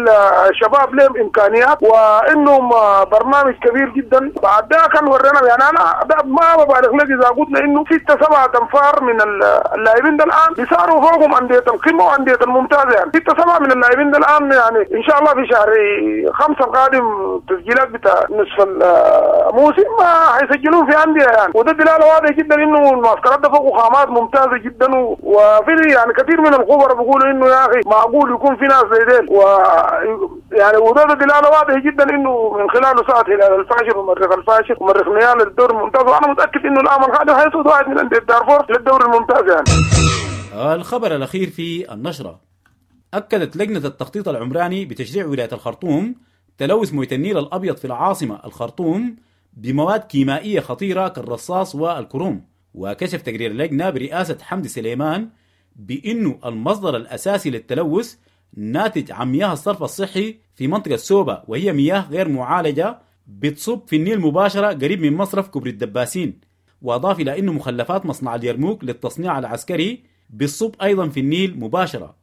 الشباب لهم امكانيات وانهم برنامج كبير جدا. بعد ده كان ورينا يعني انا ما ببالغ لك اذا قلنا انه ستة سبعة انفار من اللاعبين ده الان بيصاروا فوقهم انديه القمه وانديه الممتازه، يعني ستة سبعة من اللاعبين ده الان يعني ان شاء الله في شهر خمسة القادم تسجيلات بتاع نصف الموسم حيسجلون في انديه يعني، وده دلاله واضحه جدا انه المعسكرات ده فوق خامات ممتازه جدا. وفي يعني كثير من الخبراء بيقولوا انه يا اخي معقول يكون في ناس زي ديل، و يعني وده دلاله واضحه جدا انه من خلاله صعد هلال الفاشر ومريخ الفاشر ومريخ نيال للدوري الممتاز، وانا متاكد انه العام القادم حيصعد واحد من انديه دارفور للدوري الممتاز يعني. الخبر الاخير في النشره، اكدت لجنه التخطيط العمراني بتشريع ولايه الخرطوم تلوث مويه النيل الابيض في العاصمه الخرطوم بمواد كيميائية خطيرة كالرصاص والكروم. وكشف تقرير اللجنة برئاسة حمدي سليمان بأنه المصدر الأساسي للتلوث ناتج عن مياه الصرف الصحي في منطقة سوبا، وهي مياه غير معالجة بتصب في النيل مباشرة قريب من مصرف كوبري الدباسين. وأضاف إلى أنه مخلفات مصنع اليرموك للتصنيع العسكري بتصب أيضا في النيل مباشرة.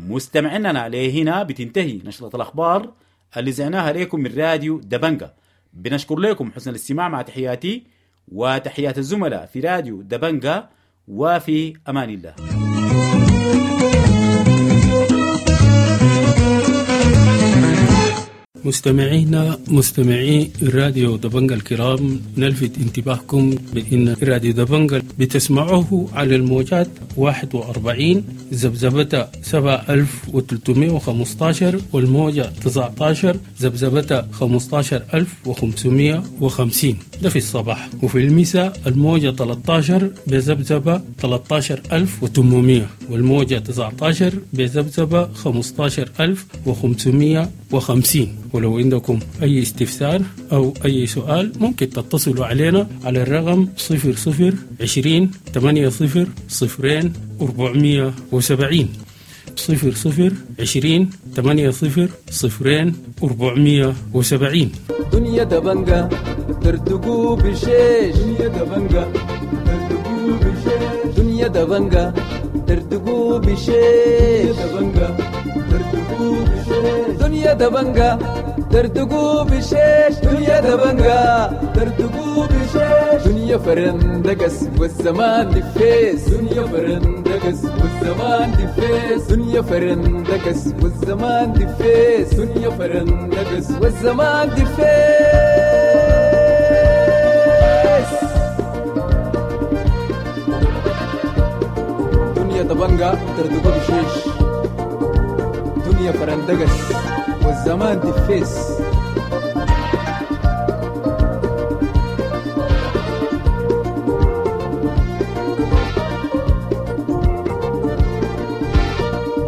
مستمعينا لهنا بتنتهي نشرة الأخبار اللي زعناها لكم من راديو دبنجة. بنشكر لكم حسن الاستماع، مع تحياتي وتحيات الزملاء في راديو دبنجة، وفي أمان الله. مستمعينا مستمعي راديو دبنجة الكرام، نلفت انتباهكم بأن راديو دبنجة بتسمعوه على الموجات واحد وأربعين ذبذبة سبعة ألف وثلاثمائة وخمسة عشر والموجة تسعة عشر ذبذبة خمسة عشر ألف وخمسمائة وخمسين، ده في الصباح، وفي المساء الموجة ثلاثة عشر بذبذبة ثلاثة عشر ألف وثمانمائة والموجة تسعة عشر بذبذبة خمسة عشر ألف وخمسمائة وخمسين. ولو عندكم أي استفسار أو أي سؤال ممكن تتصلوا علينا على الرقم صفر صفر عشرين ثمانية صفر صفرين أربعمية وسبعين، صفر صفر عشرين ثمانية صفر صفرين أربعمية وسبعين. دنيا دبنجة ترتقو بشيش، دنيا دبنجة ترتقو بشيش، دنيا دبنجة ترتقو بشيش، دبنجة ترتقو بشيش، دنيا دبنجة ترتقو بشيش، دنيا دبنجة ترتقو بشيش، دنيا فرندقس والزمان دفيس، دنيا فرندقس والزمان دفيس، دنيا فرندقس والزمان دفيس، دنيا فرندقس والزمان دفيس. دنيا دبنجة ترتقو بشيش، دنيا فرندقس والزمان دفيس.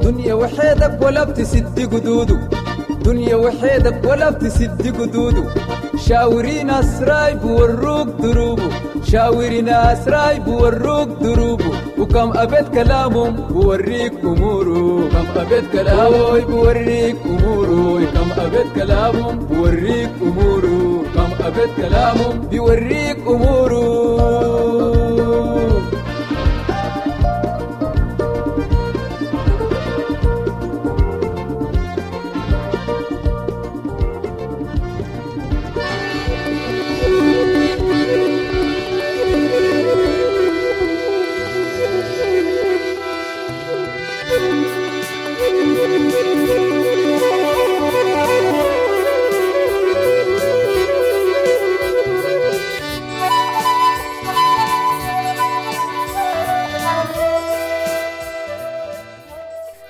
دنيا وحيدك ولا بتسد قدوده، دنيا وحيدك ولا بتسد قدوده، شاوري ناس رايب وروك دروبه، شاوري ناس رايب وروك دروبه، وكم أبيت كلامهم بوريك أموره، كم أبيت كلامهم بوريك أموره، كم أبيت كلامهم بوريك أموره، كم أبيت كلامهم بيوريك أموره.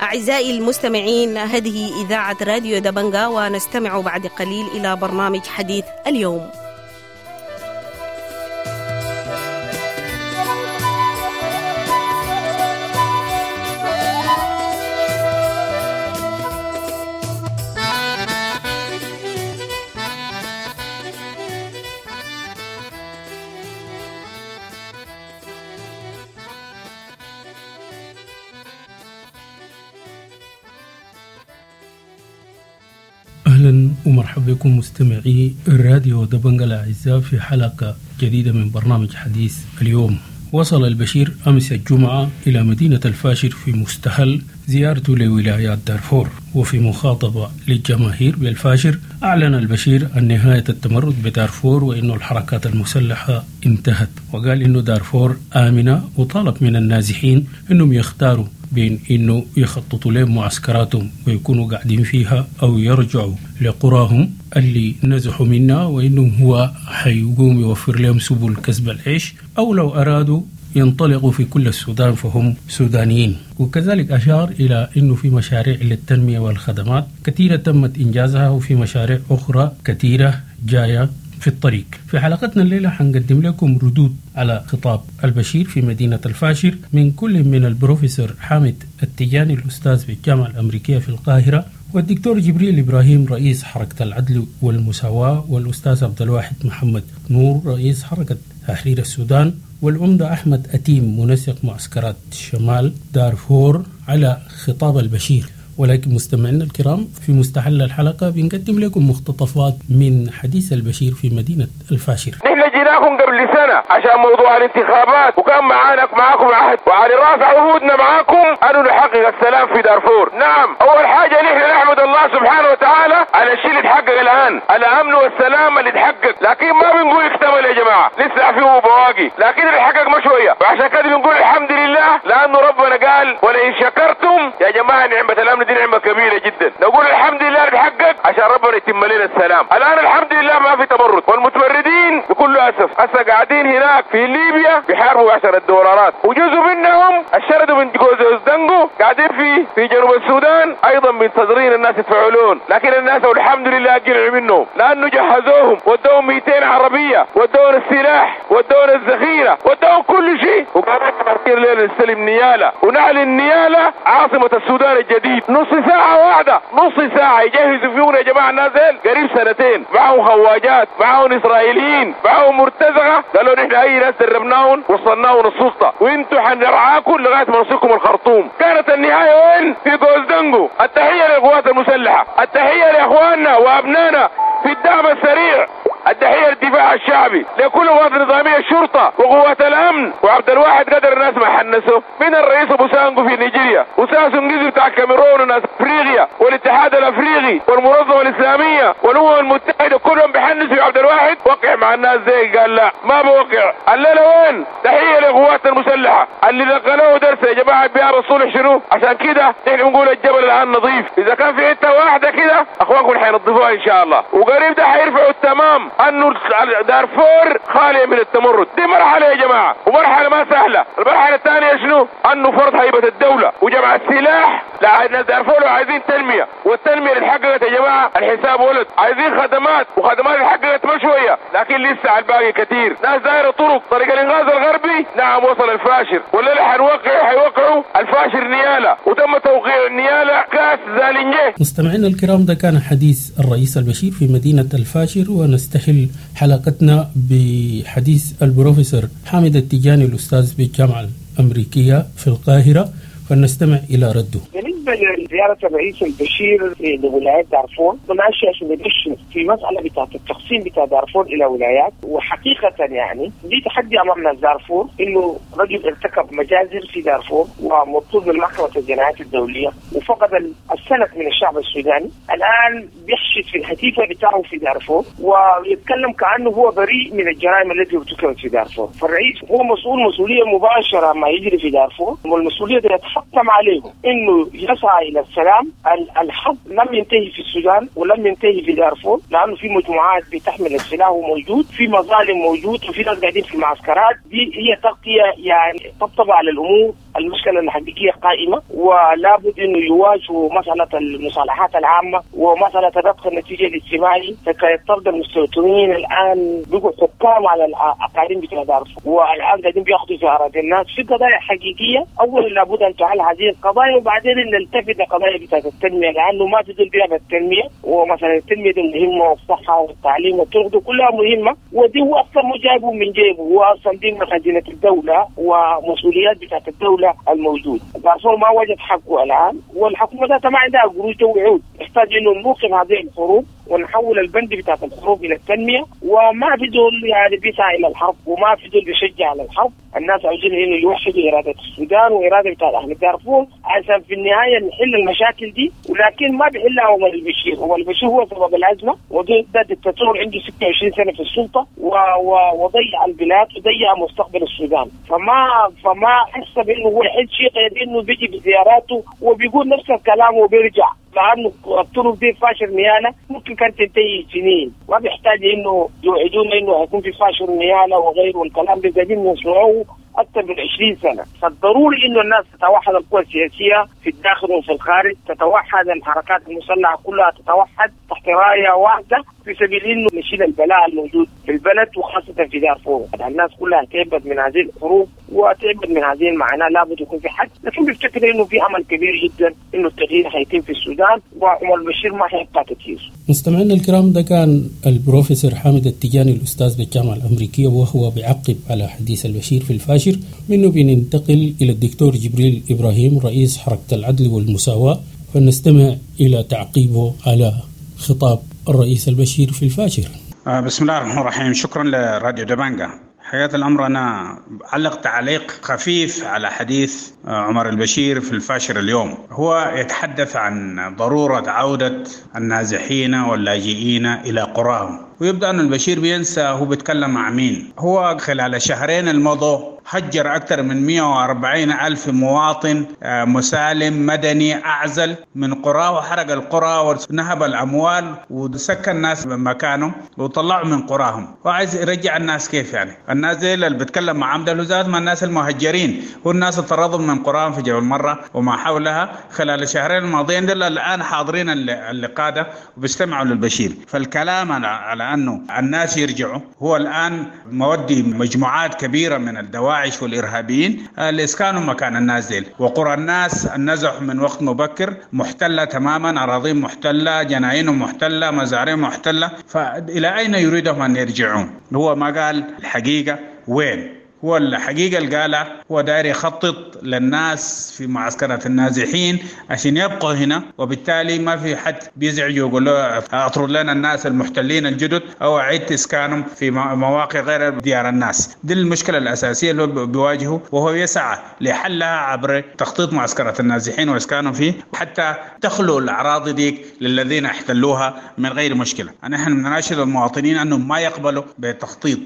أعزائي المستمعين، هذه إذاعة راديو دبنجة، ونستمع بعد قليل إلى برنامج حديث اليوم. أهلا ومرحبا بكم مستمعي الراديو دبنجا الأعزاء في حلقة جديدة من برنامج حديث اليوم. وصل البشير أمس الجمعة إلى مدينة الفاشر في مستهل زيارته لولايات دارفور، وفي مخاطبة للجماهير بالفاشر أعلن البشير عن نهاية التمرد بدارفور وإنه الحركات المسلحة انتهت، وقال إنه دارفور آمنة، وطالب من النازحين إنهم يختاروا بين إنه يخططوا لهم معسكراتهم ويكونوا قاعدين فيها أو يرجعوا لقراهم اللي نزحوا منها، وإنه هو حيقوم يوفر لهم سبل كسب العيش، أو لو أرادوا ينطلقوا في كل السودان فهم سودانيين. وكذلك أشار إلى أنه في مشاريع للتنمية والخدمات كثيرة تمت إنجازها، وفي مشاريع أخرى كثيرة جاية في الطريق. في حلقتنا الليلة حنقدم لكم ردود على خطاب البشير في مدينة الفاشر من كل من البروفيسور حامد التجاني الأستاذ بالجامعة الأمريكية في القاهرة، والدكتور جبريل إبراهيم رئيس حركة العدل والمساواة، والأستاذ عبد الواحد محمد نور رئيس حركة تحرير السودان، والعمدة أحمد أتيم منسق معسكرات شمال دارفور على خطاب البشير. ولكن مستمعينا الكرام، في مستهل الحلقة بنقدم لكم مقتطفات من حديث البشير في مدينة الفاشر. نحن جيناكم قبل سنة عشان موضوع الانتخابات، وكان معانا معاكم عهد، وعلى راس عهودنا معاكم أنه نحقق السلام في دارفور. نعم، أول حاجة نحن نحمد الله سبحانه وتعالى على الشيء اللي تحقق الآن، الأمن والسلام اللي تحقق، لكن ما بنقول اكتمل يا جماعة، لسه فيه بواقي، لكن اللي حقق ما شوية، وعشان كده بنقول الحمد لله، لأنه ربنا قال ولئن شكرتم يا جماعة نعمة الأمن دي نعمة كبيرة جدا. نقول الحمد لله اللي تحقق عشان ربنا يتم لنا السلام. الآن الحمد لله ما في تمرد، والمتمردين بكل أسف هسه قاعدين هناك في ليبيا بيحاربوا عشرة دولارات، وجزء منهم الشردوا من جوز دنجو قاعدين في في جنوب السودان أيضا منتظرين الناس يتفعلون، لكن الناس والحمد لله قلعوا منهم، لأنه جهزوهم ودوهم مئتين عربية، ودوهم السلاح، ودوهم الذخيرة، ودوهم كل شيء، وقالوا ليلة نستلم نيالة ونعلن نيالة عاصمة السودان الجديد. نص ساعة واحدة، نص ساعة يجهزوا فيهم يا جماعة الناس قريب سنتين، معهم خواجات، معهم إسرائيليين، معهم مرتزقة، قالوا نحن أي ناس دربناهم وصلناهم السلطة، وانتوا حنرعاكم لغاية ما نوصلكم الخرطوم. كانت النهاية وين؟ في جوزدنجو. التحية للقوات المسلحة، التحية لإخواننا وأبنائنا في الدعم السريع، التحية للدفاع الشعبي، لكل قوات النظامية، الشرطة وقوات الأمن. وعبد الواحد قدر الناس ما حنسوا من الرئيس أبو سانجو في نيجيريا، وساسو بتاع الكاميرون، وناس أفريقيا والاتحاد الأفريقي والمنظمة الإسلامية والأمم المتحدة، كلهم بيحنسوا عبد الواحد. وقع مع الناس زي قال لا ما بوقع. الليلة وين؟ تحية للقوات المسلحة اللي نقلوه درس يا جماعة بيار الصلح شنو. عشان كده نحن بنقول الجبل الآن نظيف، إذا كان في حتة واحدة كده أخوانكم حينظفوها إن شاء الله، وقريب ده حيرفعوا التمام انه دارفور خالية من التمرد. دي مرحلة يا جماعة، ومرحلة ما سهلة. المرحلة الثانية شنو؟ انه فرض هيبة الدولة وجمع السلاح. لا دارفور عايزين تنمية، والتنمية اللي اتحققت يا جماعة الحساب ولد، عايزين خدمات، وخدمات اللي اتحققت ما شوية، لكن لسه على الباقي كثير. ناس دايرة طرق، طريق الانغاز الغربي نعم وصل الفاشر، ولا اللي حنوقعوا حيوقعوا الفاشر نيالة، وتم توقيع النيالة كاس زالنجي. مستمعينا الكرام، ده كان حديث الرئيس البشير في مدينة الفاشر، ونستهل حلقتنا بحديث البروفيسور حامد التجاني الأستاذ بالجامعة الأمريكية في القاهرة، فلنستمع إلى رده. بالنسبة لزيارة الرئيس البشير لولايات دارفور، ماشي عشان يدش في مسألة بتاعة التقسيم بتاع دارفور إلى ولايات، وحقيقة يعني دي تحدي أمامنا دارفور، إنه رجل ارتكب مجازر في دارفور ومطلوب من محكمة الجنايات الدولية وفقد السند من الشعب السوداني، الآن بيحشد في الهتيفة بتاعه في دارفور ويتكلم كأنه هو بريء من الجرائم التي ارتكبت في دارفور. فالرئيس هو مسؤول مسؤولية مباشرة ما يجري في دارفور، والمسؤولية دي يتحتم عليه انه يسعى الى السلام. الحرب لم ينتهي في السودان ولم ينتهي في دارفور، لانه في مجموعات بتحمل السلاح وموجود، في مظالم موجود، وفي ناس قاعدين في المعسكرات. دي هي تغطيه يعني طبطبة على الامور. المشكلة الحقيقية قائمة، ولا بد انه يواجهوا مسالة المصالحات العامة ومسالة ربط النتيجة الاجتماعي. حكاية طرد المستوطنين الان بقوا حكام على الاقاليم بتاع دارفور، والان قاعدين بياخذوا في اراضي الناس. في قضايا حقيقية اولا لابد ان تعال هذه القضايا، وبعدين نلتفت لقضايا بتاعت التنمية، لانه ما في زول بيعمل التنمية، ومثلا التنمية دي مهمة، والصحة والتعليم والطرق دي كلها مهمة، ودي هو اصلا مو جايبه من جيبه، هو اصلا دي من خزينة الدولة ومسؤوليات بتاعت الدولة. الدولة الموجود. دارفور ما وجد حقه الآن، والحكومة ذاتها ما عندها قروش وعود. نحتاج إنه نوقف هذه الحروب ونحول البند بتاعت الحروب إلى التنمية. وما في دول يعني بيسعى إلى الحرب، وما في دول بيشجع على الحرب. الناس عاوزين إنه يوحدوا إرادة السودان وإرادة بتاعت أهل دارفور عشان في النهاية نحل المشاكل دي. ولكن ما بيحلها عمر البشير، عمر البشير هو سبب الأزمة، وده دكتاتور عنده ستة وعشرين سنة في السلطة وضيع البلاد وضيع مستقبل السودان. فما فما حس بإنه هو يحل شيء غير إنه بيجي بزياراته وبيقول نفس الكلام وبيرجع، لأنه الطرق دي فاشر نيالة ممكن كانت تنتهي سنين، ما بيحتاج إنه يوعدونا إنه هيكون في فاشر نيالة وغيره، والكلام ده قاعدين نسمعوه أكثر من عشرين سنة. فالضروري إنه الناس تتوحد، القوى السياسية في الداخل وفي الخارج تتوحد، الحركات المسلحة كلها تتوحد تحت راية واحدة في سبيل إنه نشيل البلاء الموجود في البلد وخاصة في دارفور. الناس كلها تعبت من هذه الحروب وتعبت من هذه المعاناة، لابد يكون في حد. لكن بفتكر إنه في أمل كبير جدا إنه التغيير حيتم في السودان، وعمر البشير ما حيبقى كثير. مستمعينا الكرام، ده كان البروفيسور حامد التجاني الأستاذ بالجامعة الأمريكية، وهو بيعقب على حديث البشير في الفاشر. منه بننتقل إلى الدكتور جبريل إبراهيم رئيس حركة العدل والمساواة، فنستمع إلى تعقيبه على خطاب الرئيس البشير في الفاشر. بسم الله الرحمن الرحيم. شكرا لراديو دبنجا. حقيقة الأمر أنا علق تعليق خفيف على حديث عمر البشير في الفاشر اليوم. هو يتحدث عن ضرورة عودة النازحين واللاجئين إلى قراهم، ويبدأ أن البشير بينسى هو بيتكلم مع مين. هو خلال الشهرين الماضوا هجر أكثر من مئة وأربعين ألف مواطن مسالم مدني أعزل من قرى، وحرق القرى ونهب الأموال وسكن الناس مكانهم وطلعوا من قراهم. وعايز يرجع الناس كيف يعني؟ الناس دي اللي بتكلم مع عمد الوزارة ما الناس المهجرين، هو الناس اللي طردوا من قراهم في جبل مرة وما حولها خلال الشهرين الماضيين، دول الآن حاضرين اللقاء ده وبيستمعوا للبشير. فالكلام على أنه الناس يرجعوا، هو الآن مودي مجموعات كبيرة من الدواعش والإرهابيين لإسكانهم مكان الناس ديل. وقرى الناس النزح من وقت مبكر محتلة تماما، أراضيهم محتلة، جناينهم محتلة، مزارعهم محتلة، فإلى أين يريدهم أن يرجعون؟ هو ما قال الحقيقة وين. هو الحقيقة اللي قالها هو داير يخطط للناس في معسكرات النازحين عشان يبقوا هنا، وبالتالي ما في حد بيزعج ويقول له اطرد لنا الناس المحتلين الجدد او اعيد اسكانهم في مواقع غير ديار الناس. دي المشكلة الأساسية اللي بيواجهه، وهو يسعى لحلها عبر تخطيط معسكرات النازحين واسكانهم فيه حتى تخلو الأراضي ديك للذين احتلوها من غير مشكلة. نحن بنناشد المواطنين أنهم ما يقبلوا بتخطيط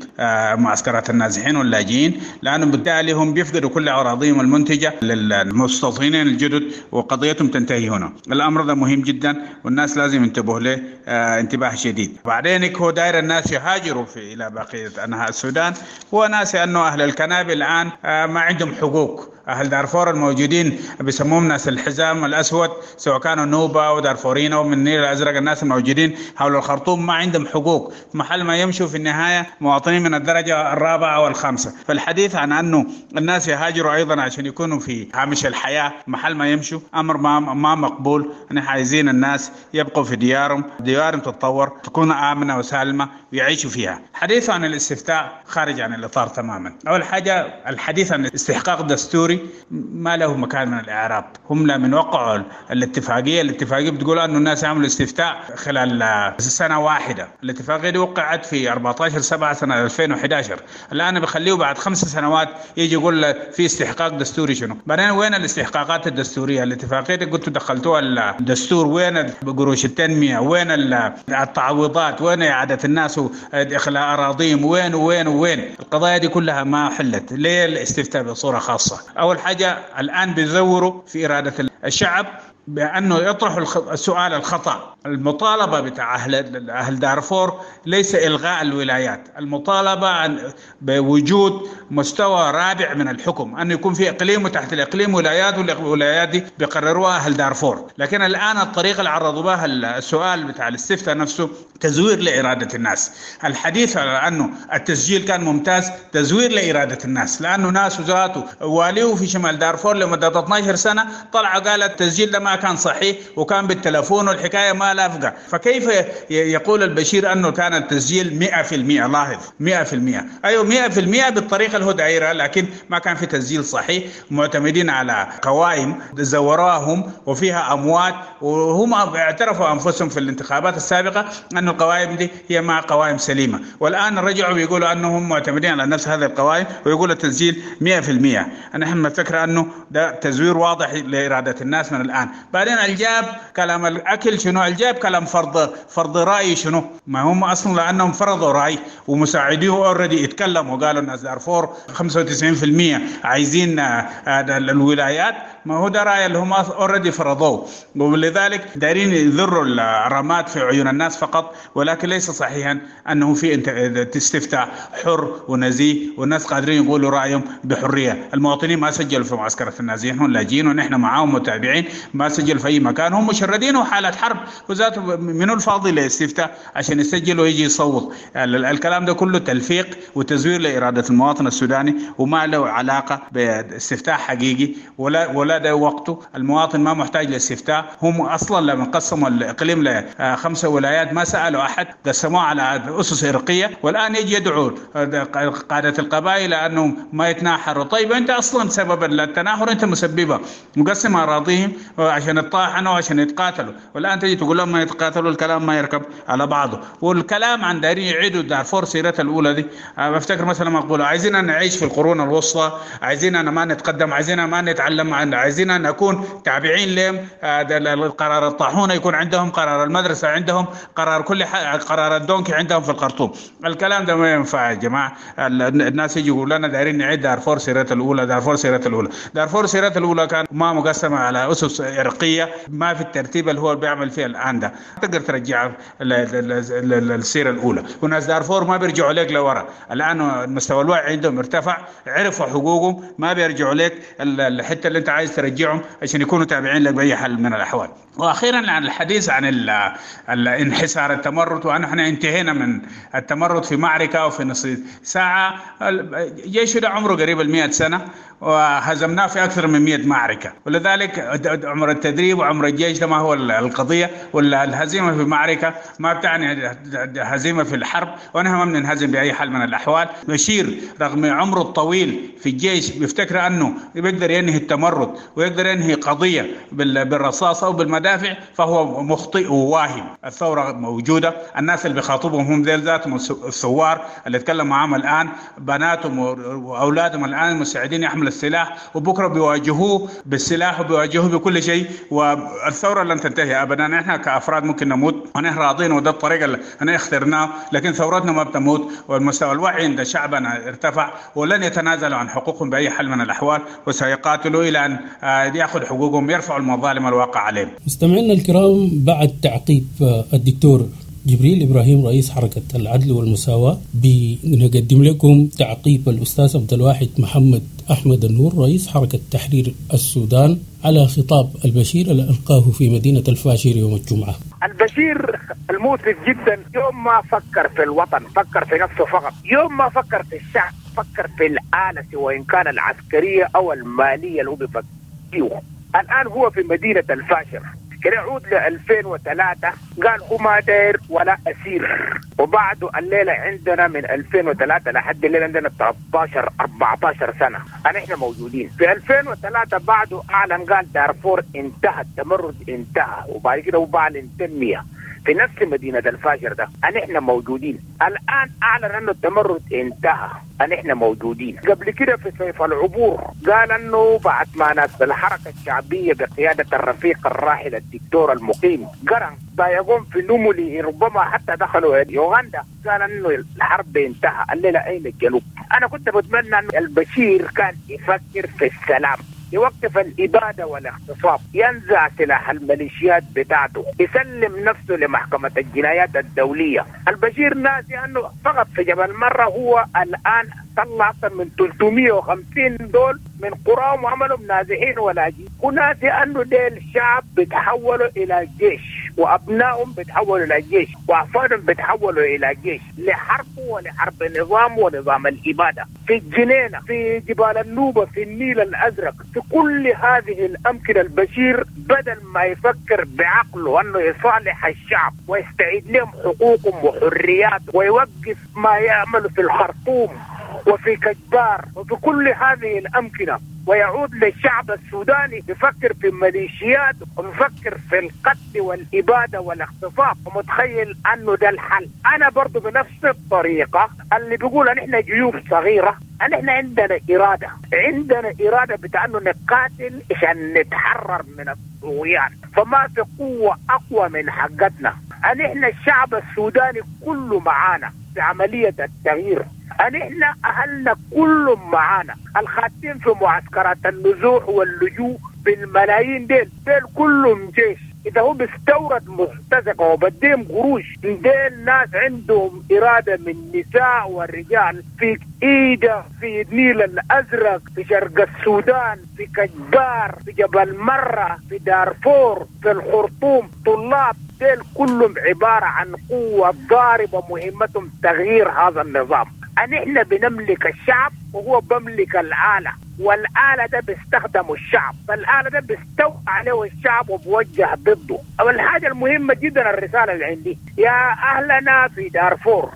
معسكرات النازحين واللاجئين، لأنه بالتالي هم بيفقدوا كل أراضيهم المنتجة للمستوطنين الجدد وقضيتهم تنتهي هنا. الأمر ده مهم جدا والناس لازم ينتبهوا له آه انتباه شديد. بعدين هو داير الناس يهاجروا في إلى بقية أنحاء السودان. هو ناس أنه أهل الكنابل الآن آه ما عندهم حقوق. أهل دارفور الموجودين بيسموهم ناس الحزام الأسود، سواء كانوا نوبة ودارفورين أو من النيل الأزرق، الناس الموجودين حول الخرطوم ما عندهم حقوق، محل ما يمشوا في النهاية مواطنين من الدرجة الرابعة والخامسة. فالحديث عن أنه الناس يهاجروا أيضا عشان يكونوا في هامش الحياة محل ما يمشوا أمر ما ما مقبول. نحن عايزين الناس يبقوا في ديارهم، ديارهم تتطور، تكون آمنة وسالمة ويعيشوا فيها. حديث عن الاستفتاء خارج عن الإطار تماما. أول حاجة الحديث عن استحقاق دستوري ما له مكان من الإعراب. هم لا من وقعوا الاتفاقية، الاتفاقية بتقول أنه الناس يعملوا استفتاء خلال سنة واحدة. الاتفاقية دي وقعت في أربعة عشر سبعة سنة ألفين وأحد عشر. الآن بخليه بعد خمس سنوات يجي يقول في استحقاق دستوري شنو؟ بعدين وين الاستحقاقات الدستورية؟ الاتفاقية دي قلتوا دخلتوها الدستور، وين قروش التنمية؟ وين التعويضات؟ وين إعادة الناس وإخلاء أراضيهم؟ وين وين وين؟ القضايا دي كلها ما حلت. ليه الاستفتاء بصورة خاصة؟ أول حاجة الآن بيزوروا في إرادة الشعب بأنه يطرحوا السؤال الخطأ. المطالبة بتاع أهل أهل دارفور ليس إلغاء الولايات، المطالبة عن بوجود مستوى رابع من الحكم، أن يكون في إقليم وتحت الإقليم ولايات، والولايات دي بيقرروها أهل دارفور. لكن الآن الطريقة اللي عرضوا بها السؤال بتاع الاستفتاء نفسه تزوير لإرادة الناس. الحديث على أنه التسجيل كان ممتاز تزوير لإرادة الناس، لأنه ناس ذاته واليه في شمال دارفور لمدة اثنتي عشرة سنة طلعوا قال التسجيل ده ما ما كان صحيح وكان بالتلفون والحكاية ما لافقة. فكيف يقول البشير أنه كان التسجيل مئة في المئة؟ لاحظ مئة في المئة، أيوة مئة في المئة بالطريقة اللي هو دايرة، لكن ما كان في تسجيل صحيح، معتمدين على قوائم زوراهم وفيها أموات، وهم اعترفوا أنفسهم في الانتخابات السابقة أن القوائم دي هي مع قوائم سليمة، والآن رجعوا بيقولوا أنهم معتمدين على نفس هذه القوائم ويقولوا التسجيل مئة في المئة. نحن نفكر أنه ده تزوير واضح لإرادة الناس من الآن. بعدين الجاب كلام الأكل شنو؟ الجاب كلام فرض فرض رأي شنو؟ ما هم أصلا لأنهم فرضوا رأي ومساعديه already اتكلموا وقالوا الناس دارفور خمسة وتسعين في المئة عايزين الولايات، ما هو ده رأي اللي هم already فرضوه، ولذلك دايرين يذروا الرماد في عيون الناس فقط، ولكن ليس صحيحا أنه في استفتاء حر ونزيه والناس قادرين يقولوا رأيهم بحرية. المواطنين ما سجلوا في معسكرة النازحين، هم لاجئين ونحن معاهم متابعين، ما سجلوا في أي مكان، هم مشردين وحالة حرب، وذاته من الفاضي لاستفتاء عشان يسجل ويجي يصوت. الكلام ده كله تلفيق وتزوير لإرادة المواطن السوداني وما له علاقة باستفتاء حقيقي ولا ولا ده وقته. المواطن ما محتاج لاستفتاء، هم أصلا لما قسموا الإقليم لخمسة ولايات ما سألوا أحد، قسموه على أسس إرقية، والآن يجي يدعو قادة القبائل أنهم ما يتناحروا. طيب أنت أصلا سبب التناحر أنت مسببه، مقسم أراضيهم عشان يتطاحنوا وعشان يتقاتلوا، والآن تجي تقول لهم ما يتقاتلوا، الكلام ما يركب على بعضه. والكلام عن دارين يعيدوا دارفور سيرتها الأولى دي، بفتكر مثلا ما أقوله عايزين أن نعيش في القرون الوسطى، عايزين أن ما نتقدم، عايزين ما نتعلم، عايزين أن نكون تابعين لهم، القرار الطاحونة يكون عندهم، قرار المدرسة عندهم، قرار كل حاجة، قرار الدونكي عندهم في الخرطوم. الكلام ده ما ينفع يا جماعة. الناس يجي يقول لنا دايرين نعيد دارفور سيرتها الأولى، دارفور سيرتها الأولى، دارفور سيرتها الأولى كان ما مقسمة على أسس عرقية، ما في الترتيب اللي هو بيعمل فيه الآن ده تقدر ترجع السيرة الأولى. وناس دارفور ما بيرجعوا لك لورا، الآن مستوى الوعي عندهم ارتفع، عرفوا حقوقهم، ما بيرجعوا لك الحتة اللي انت عايز ترجعهم عشان يكونوا تابعين لك بأي حال من الأحوال. وأخيرا عن الحديث عن الانحسار التمرد، ونحن انتهينا من التمرد في معركة وفي نصف ساعة. الجيش ده عمره قريب المئة سنة وهزمناه في أكثر من مئة معركة، ولذلك عمر التدريب وعمر الجيش ده ما هو القضية، ولا الهزيمة في معركة ما بتعني هزيمة في الحرب، ونحن ما بننهزم بأي حال من الأحوال. بشير رغم عمره الطويل في الجيش بيفتكر أنه بيقدر ينهي التمرد ويقدر ينهي قضية بالرصاص أو بالمدافع، فهو مخطئ وواهم. الثورة موجودة، الناس اللي بيخاطبهم هم ذيل ذاتهم الثوار اللي اتكلم معاهم الآن، بناتهم وأولادهم الآن مستعدين يحملوا السلاح، وبكرة بيواجهوه بالسلاح وبيواجهوه بكل شيء، والثورة لن تنتهي أبدا. نحن كأفراد ممكن نموت ونحن راضين وده الطريقة اللي احنا اخترناه، لكن ثورتنا ما بتموت، والمستوى الوعي عند شعبنا ارتفع، ولن يتنازلوا عن حقوقهم بأي حال من الأحوال، وسيقاتلوا إلى أن يأخذ حقوقهم، يرفعوا المظالم الواقع عليهم. مستمعينا الكرام، بعد تعقيب الدكتور جبريل إبراهيم رئيس حركة العدل والمساواة، بنقدم لكم تعقيب الأستاذ عبد الواحد محمد أحمد النور رئيس حركة تحرير السودان على خطاب البشير اللي ألقاه في مدينة الفاشر يوم الجمعة. البشير المؤسف جدا يوم ما فكر في الوطن فكر في نفسه فقط، يوم ما فكر في الشعب فكر في الآلة سواء كان العسكرية أو المالية اللي هو بيفكر فيه. الآن هو في مدينة الفاشر، كده يعود ل ألفين وثلاثة قال هو ما داير ولا أسير، وبعده الليلة عندنا من ألفين وثلاثة لحد الليلة عندنا ثلاثة عشر أربعة عشر سنة احنا موجودين. في ألفين وثلاثة بعده أعلن قال دارفور انتهى، التمرد انتهى، وبعد كده وبعلن تنمية في نفس مدينة الفاجر ده احنا موجودين. الآن أعلن أنه التمرد انتهى، احنا موجودين. قبل كده في صيف العبور قال أنه بعد ما ناس الحركة الشعبية بقيادة الرفيق الراحل الدكتور المقيم قرن ضايقون في نمولي ربما حتى دخلوا يوغندا، قال أنه الحرب انتهى، الليلة أين الجنوب؟ أنا كنت بتمنى أن البشير كان يفكر في السلام، يوقف الإبادة والاغتصاب، ينزع سلاح الميليشيات بتاعته، يسلم نفسه لمحكمة الجنايات الدولية. البشير ناسي أنه فقط في جبل مرة هو الآن طلع أكثر من ثلاثمئة وخمسين دول من قراهم وعملوا نازحين ولاجئين، وناسي أنه ديل الشعب بيتحولوا إلى جيش. وأبنائهم بيتحولوا إلى جيش، وأحفادهم بيتحولوا إلى جيش لحرب ولحرب نظام ونظام الإبادة في الجنينة، في جبال النوبة، في النيل الأزرق، في كل هذه الأمكنة. البشير بدل ما يفكر بعقله أنه يصالح الشعب ويستعيد لهم حقوقهم وحرياتهم ويوقف ما يعمل في الخرطوم وفي كجبار وفي كل هذه الأمكنة ويعود للشعب السوداني، يفكر في الميليشيات ويفكر في القتل والإبادة والاغتصاب ومتخيل أنه ده الحل. أنا برضو بنفس الطريقة اللي بيقول أن إحنا جيوب صغيرة، أن إحنا عندنا إرادة، عندنا إرادة بتاع أنه نقاتل عشان نتحرر من الطغيان، فما في قوة أقوى من حقتنا. أن إحنا الشعب السوداني كله معانا في عملية التغيير، أن إحنا أهلنا كلهم معانا، الخاتين في معسكرات النزوح واللجوء بالملايين ديل ديل كلهم جيش. إذا هو بيستورد مرتزقة وبديهم قروش، ديل ناس عندهم إرادة من النساء والرجال في إيدة، في النيل الأزرق، في شرق السودان، في كجبار، في جبل مرة، في دارفور، في الخرطوم، طلاب ديل كلهم عبارة عن قوة ضاربة مهمتهم تغيير هذا النظام. أن إحنا بنملك الشعب وهو بملك الآلة، والآلة ده بيستخدمه الشعب، فالآلة ده بيستوى عليه الشعب وبوجه ضده. أول حاجة المهمة جدا الرسالة اللي عندي يا أهلنا في دارفور،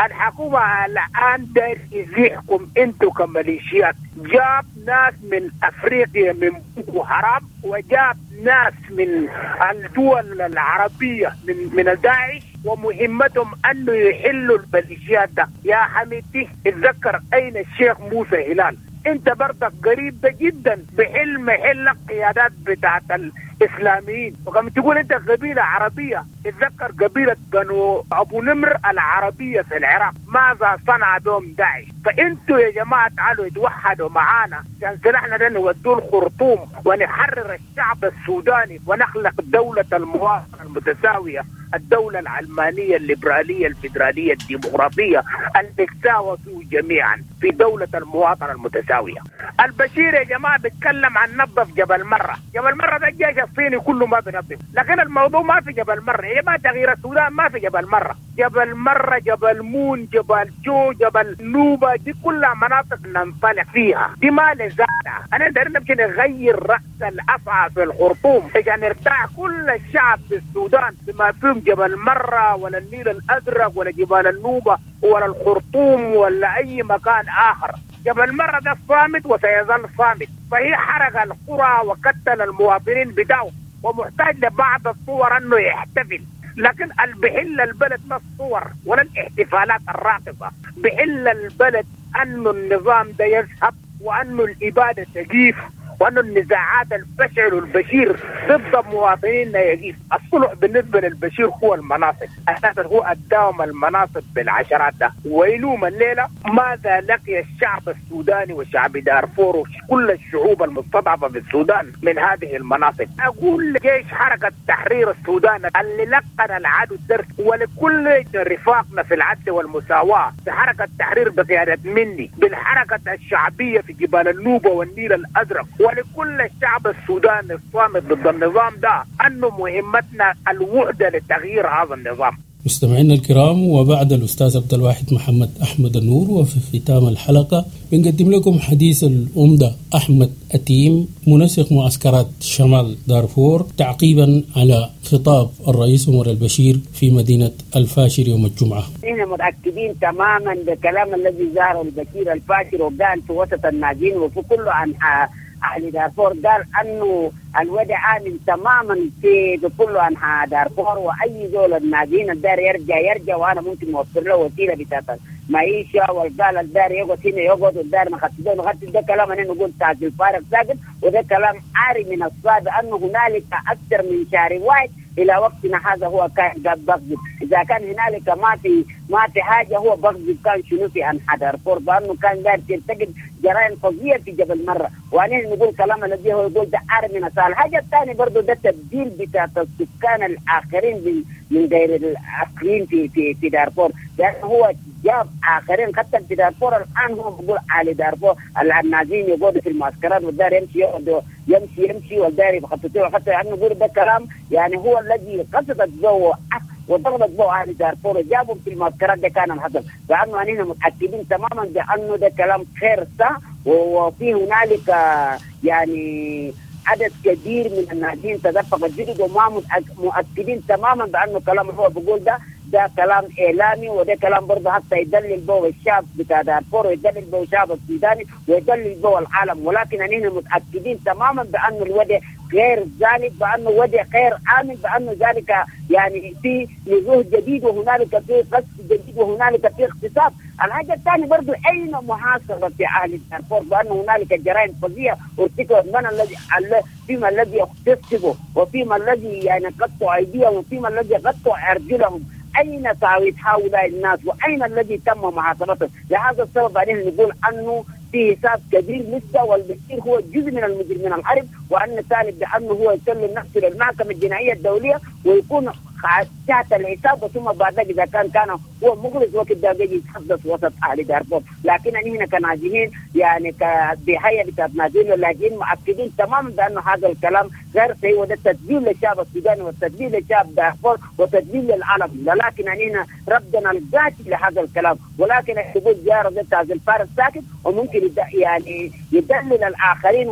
الحكومة الآن داير يزيحكم انتوا كميليشيات. جاب ناس من أفريقيا من بوكو حرام، وجاب ناس من الدول العربية من من داعش، ومهمتهم أنه يحلوا الميليشيات ده. يا حميدتي اتذكر أين الشيخ موسى هلال، انت برضك قريب ده جدا بحلم حل قيادات بتاعت الاسلاميين، وكما تقول انت قبيله عربيه، اتذكر قبيله بنو ابو نمر العربيه في العراق ماذا صنع بهم داعش. فانتوا يا جماعه تعالوا اتوحدوا معانا عشان سلاحنا ده نودوه الخرطوم ونحرر الشعب السوداني ونخلق دوله المواطنه المتساويه، الدولة العلمانية الليبرالية الفيدرالية الديمقراطية اللي تساوى فيه جميعا في دولة المواطنة المتساوية. البشير يا جماعة بيتكلم عن نظف جبل مرة، جبل مرة ده الجيش الصيني كله ما بينظف، لكن الموضوع ما في جبل مرة يا جماعة، تغيير السودان ما في جبل مرة، جبل مرة، جبل مون، جبل جو، جبل نوبة، دي كلها مناطق ننطلق فيها، دي ما لزالة. أنا داير نمشي نغير رأس الأفعى في الخرطوم عشان نرتاح كل الشعب في السودان بما فيهم جبل مرة ولا النيل الأزرق ولا جبال النوبة ولا الخرطوم ولا أي مكان آخر. جبل مرة ده صامت وسيظل صامت، فهي حرق القرى وقتل المواطنين بتاعه ومحتاج لبعض الصور أنه يحتفل، لكن بحل البلد ما الصور ولا الاحتفالات الراقصة، بحل البلد أنه النظام ده يذهب وأنه الإبادة تجيف وأن النزاعات البشع والبشير ضد مواطنينا يجيب. الصلح بالنسبة للبشير هو المناصب، أساسا هو أداهم المناصب بالعشرات ده. ويلوم الليلة ماذا لقي الشعب السوداني وشعب دارفور وكل الشعوب المستضعفة في السودان من هذه المناصب. أقول لجيش حركة تحرير السودان اللي لقن العدو الدرس، ولكل رفاقنا في العدل والمساواة في حركة التحرير بقيادة مني، بالحركة الشعبية في جبال النوبة والنيل الأزرق، ولكل الشعب السوداني الصامت ضد النظام ده، أنه مهمتنا الوحدة لتغيير هذا النظام. مستمعينا الكرام، وبعد الأستاذ عبد الواحد محمد أحمد النور، وفي ختام الحلقة بنقدم لكم حديث الأمدة أحمد أتيم منسق معسكرات شمال دارفور تعقيبا على خطاب الرئيس عمر البشير في مدينة الفاشر يوم الجمعة. نحن متأكدين تماما بالكلام الذي ظهر البشير الفاشر وقال في وسط الناجين وفي كل أنحاء أهل دارفور، قال أنه الوضع آمن تماما في كل أنحاء دارفور، وأي زول الناجين الدار يرجع يرجع، وأنا ممكن أوفر له وسيلة بتاعت معيشة، والقال الدار يقعد هنا يقعد والدار نخطط نخطط. ده كلام أنا نقول تاج الفارق ساكن، وده كلام عاري من الصعب أنه هنالك أكثر من شهر واحد إلى وقتنا هذا هو كان بغضب. إذا كان هنالك ما في ما في حاجة هو بغضب كان شنو في أنحاء دارفور، بأنه كان دار ترتكب جرائم فظيعة في جبل مرة. وأنا نقول كلام الذي هو يقول ده عاري من الصعب. الحاجة الثانية برضو ده تبديل بتاع السكان الآخرين من غير الأصليين في في في دارفور، لأنه هو جاب اخرين حتى في دارفور. الان هو بيقول على دارفور النازين يقعدوا في المعسكرات والدار يمشي يقعدوا يمشي يمشي والدار يخططوا حتى يعني نقول ده كلام يعني هو الذي قصدت به وضربت به اهل دارفور وجابهم في المعسكرات. ده كان الحصل، لانه اننا متاكدين تماما بانه ده كلام غير صح، وفي هنالك يعني عدد كبير من الناجين تدفق الجدد، وما مؤكدين تماما بانه كلام هو بيقول ده ده كلام اعلامي، وده كلام برضه حتى يدلل به الشعب بتاع دارفور ويدلل به الشعب السوداني ويدلل به العالم. ولكن نحن متاكدين تماما بانه الوضع غير ذلك، بانه وضع غير امن، بانه ذلك يعني في نزوح جديد وهنالك في قصف جديد وهنالك في اغتصاب. الحاجة الثانية برضه اين محاسبه في اهل دارفور بانه هنالك جرائم فظيعة ارتكبت، من الذي فيما الذي اغتصبوا وفيما الذي يعني قطعوا ايديهم وفيما الذي قطعوا ارجلهم؟ أين تعويض هؤلاء الناس وأين الذي تم محاسبتهم؟ لهذا السبب علينا نقول أنه في حساب كبير لسه، والبشير هو جزء من المجرمين الحرب، وأن الثالث بأنه هو يسلم نفسه للمحكمة الجنائية الدولية ويكون تحت الحساب، وثم بعد ذلك إذا كان كان هو مخلص وقت ده بيجي يتحدث وسط أهل دارفور. لكن هنا كناجين يعني بهيئة بتاعت ناجين واللاجئين مؤكدين تماما بأنه هذا الكلام غير صحيح، وده تدليل للشعب السوداني والتدليل للشعب دارفور وتدليل للعالم. ولكن هنا رفضنا القاتل لهذا الكلام، ولكن يقول زيارة بتاع الفارس ساكت وممكن يعني يدلل الآخرين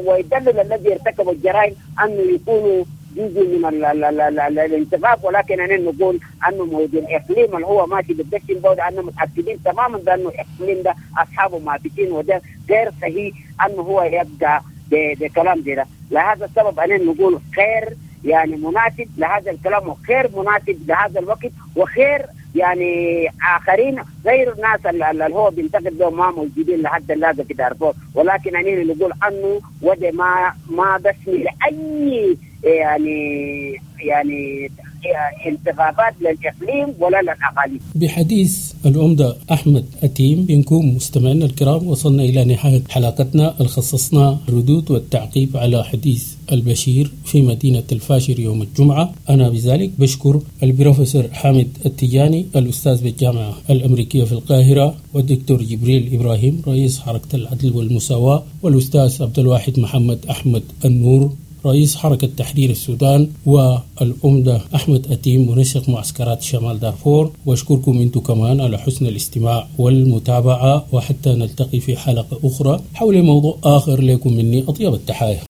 ويدلل الذي ارتكبوا الجرائم أنه يكونوا جزء من ال ال ال ال ال الانتخاب. ولكن أنا نقول أنه موجود الإقليم اللي هو ماشي بالدشن بود، أنه متأكدين تماما بأنه الإقليم ده أصحابه مافيين، وده غير صحيح أنه هو يبقى بكلام ده. لهذا السبب أنا نقول خير يعني مناسب لهذا الكلام وخير مناسب لهذا الوقت، وخير يعني آخرين غير الناس اللي هو بينتقد لهم ما موجودين لحد اللحظة في دارفور. ولكن أنا نقول أنه وده ما ما بسمي لأي يعني يعني انتخابات للإقليم ولا للأقاليم. بحديث العمدة أحمد أتيم بنكون مستمعينا الكرام وصلنا إلى نهاية حلقتنا الخصصنا الردود والتعقيب على حديث البشير في مدينة الفاشر يوم الجمعة. أنا بذلك بشكر البروفيسور حامد التجاني الأستاذ بالجامعة الأمريكية في القاهرة، والدكتور جبريل إبراهيم رئيس حركة العدل والمساواة، والأستاذ عبد الواحد محمد أحمد النور رئيس حركة تحرير السودان، والأمدة أحمد أتيم منسق معسكرات شمال دارفور. وأشكركم أنتم كمان على حسن الاستماع والمتابعة، وحتى نلتقي في حلقة أخرى حول موضوع آخر. لكم مني أطيب التحايا.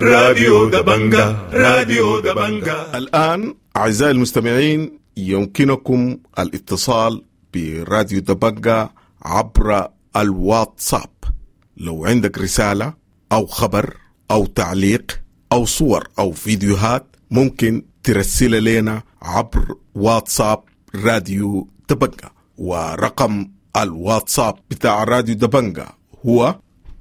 راديو دبنجا، راديو دبنجا. الآن أعزائي المستمعين يمكنكم الاتصال براديو دبنجا عبر الواتساب. لو عندك رسالة أو خبر أو تعليق أو صور أو فيديوهات ممكن ترسل لنا عبر واتساب راديو دبنجا، ورقم الواتساب بتاع راديو دبنجا هو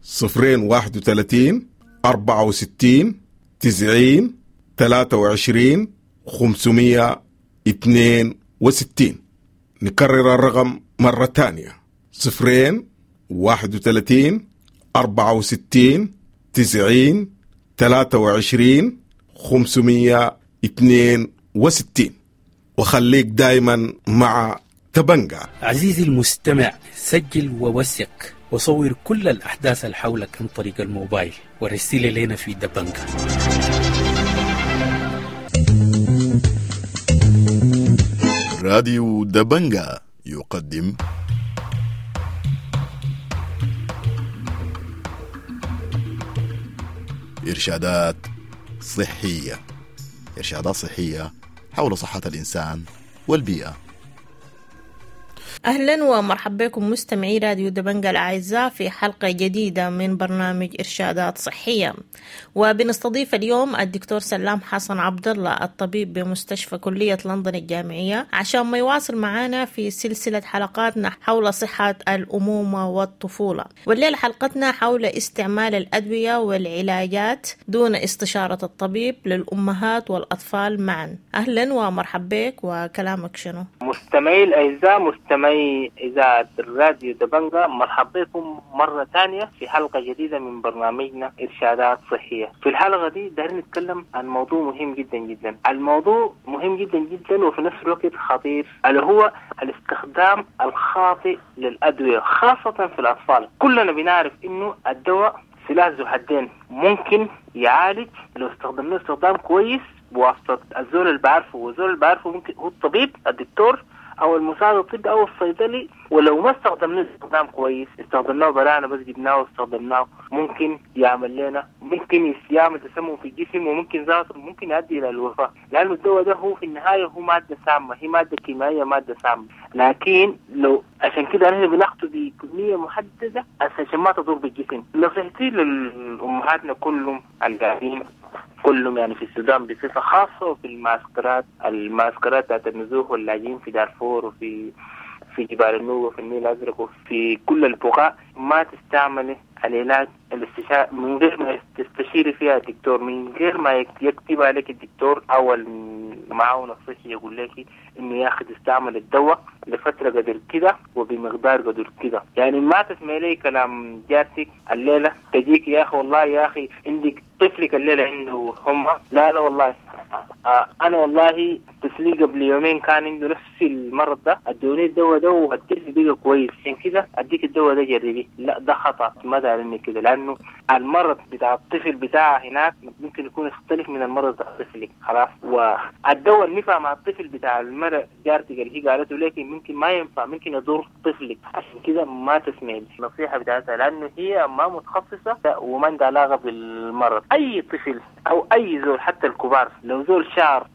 صفرين واحد وثلاثين أربعة وستين تسعين ثلاثة وعشرين خمسمية اثنين وستين. نكرر الرقم مرة تانية: صفرين واحد وثلاثين أربعة وستين تسعين ثلاثة وعشرين خمسمية اثنين وستين. وخليك دايما مع تبنجا. عزيزي المستمع، سجل ووثق وصور كل الأحداث اللي حولك عن طريق الموبايل ورسل لنا في دبنجا. راديو دبنجا يقدم إرشادات صحية. إرشادات صحية حول صحة الإنسان والبيئة. أهلا ومرحبا بكم مستمعي راديو دبنجا الأعزاء في حلقة جديدة من برنامج إرشادات صحية، وبنستضيف اليوم الدكتور سلام حسن عبد الله الطبيب بمستشفى كلية لندن الجامعية عشان ما يواصل معنا في سلسلة حلقاتنا حول صحة الأمومة والطفولة. والليلة حلقتنا حول استعمال الأدوية والعلاجات دون استشارة الطبيب للأمهات والأطفال معا. أهلا ومرحبا بك، وكلامك شنو؟ مستمعي الأعزاء، مستمعي مستمعي إذاعة الراديو دبنجا، مرحبا بكم مرة ثانية في حلقة جديدة من برنامجنا إرشادات صحية. في الحلقة دي دايرين نتكلم عن موضوع مهم جدا جدا. الموضوع مهم جدا جدا وفي نفس الوقت خطير، اللي هو الاستخدام الخاطئ للأدوية خاصة في الأطفال. كلنا بنعرف إنه الدواء سلاح ذو حدين، ممكن يعالج لو استخدمناه استخدام كويس بواسطة الزول اللي بعرفه، والزول اللي بعرفه ممكن هو الطبيب الدكتور او المساعد الطبي او الصيدلي. ولو ما استخدمناه استخدام كويس، استخدمناه برانا بس جبناه واستخدمناه، ممكن يعمل لنا ممكن يعمل تسمم في الجسم، وممكن ذاته ممكن يؤدي الى الوفاة، لانه الدواء ده هو في النهاية هو مادة سامة، هي مادة كيميائية مادة سامة. لكن لو عشان كده نحن بناخده بكمية محددة عشان ما تضر بالجسم. نصيحتي للامهاتنا كلهم القاعدين كلهم يعني في السودان بصفة خاصة، وفي المعسكرات المعسكرات بتاعت النزوح واللاجئين في دارفور وفي في جبال النوبة وفي النيل الأزرق وفي كل البقاع، ما تستعملي العلاج الاستشاري من غير ما تستشيري فيها الدكتور، من غير ما يكتب عليك الدكتور أو المعاون الصحي يقول لك إنه يا أخي تستعمل الدواء لفترة قدر كده وبمقدار قدر كده. يعني ما تسمعي لي كلام جارتك الليلة تجيك يا أخي والله يا أخي عندك طفلك الليلة عنده حمى، لا لا والله آه أنا والله طفلي قبل يومين كان عنده نفس المرض ده، ادوني الدواء ده والطفل بقى كويس، عشان كده أديك الدواء ده جربيه. لا ده خطأ، ما دارني كده، لأنه المرض بتاع الطفل بتاعه هناك ممكن يكون يختلف من المرض بتاع طفلك خلاص. والدواء اللي نفع مع الطفل بتاع المرأة جارتك اللي هي قالته لك ممكن ما ينفع، ممكن يضر طفلك. عشان كده ما تسمعي النصيحة بتاعتها، لأنه هي ما متخصصة وما عندها علاقة بالمرض. أي طفل أو أي زول حتى الكبار لو زول شعر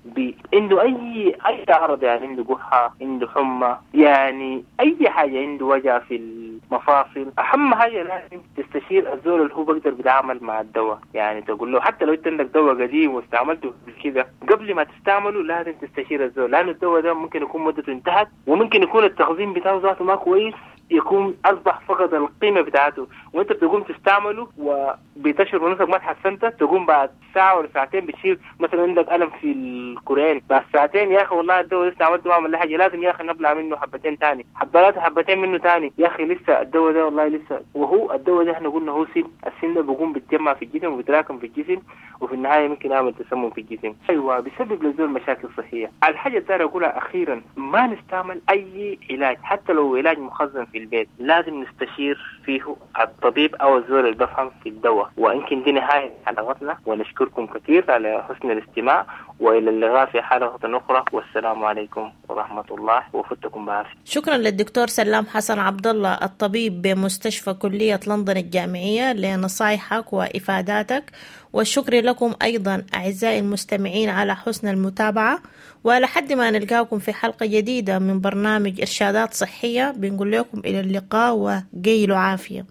عنده أي أي عرض، يعني عنده قحة، عنده حمى، يعني أي حاجة، عنده وجع في المفاصل، أهم حاجة لازم تستشير الزول اللي هو بقدر بيتعامل مع الدواء. يعني تقول له حتى لو أنت عندك دواء قديم واستعملته كده، قبل ما تستعمله لازم تستشير الزول، لأنه الدواء ده ممكن يكون مدته انتهت، وممكن يكون التخزين بتاعه ذاته ما كويس، يكون أصبح فقد القيمة بتاعته، وأنت بتقوم تستعمله وبتشعر نفسك ما تحسنت، تقوم بعد ساعة ولا ساعتين بتشيل مثلا عندك ألم في الكورين، بعد ساعتين يا أخي والله الدواء لسه عملته ما عمل لي حاجة، لازم يا أخي نبلع منه حبتين تاني، حبات حبتين منه تاني، يا أخي لسه الدواء ده والله لسه. وهو الدواء ده احنا قلنا هو سم، السم ده بيقوم بيتجمع في الجسم وبيتراكم في الجسم، وفي النهاية ممكن يعمل تسمم في الجسم. أيوة بيسبب للزول مشاكل صحية. الحاجة الثانية أقولها أخيرا، ما نستعمل أي علاج حتى لو علاج مخزن في البيت، لازم نستشير فيه الطبيب أو الزول اللي بفهم في الدواء. وإنكن دي نهاية حلقتنا، ونشكركم كثير على حسن الاستماع، وإلى اللقاء في حلقة أخرى، والسلام عليكم ورحمة الله وفتكم بعافية. شكرا للدكتور سلام حسن عبد الله الطبيب بمستشفى كلية لندن الجامعية لنصايحك وإفاداتك، والشكر لكم أيضا أعزائي المستمعين على حسن المتابعة. ولحد ما نلقاكم في حلقة جديدة من برنامج إرشادات صحية، بنقول لكم إلى اللقاء وقيلوا عافية.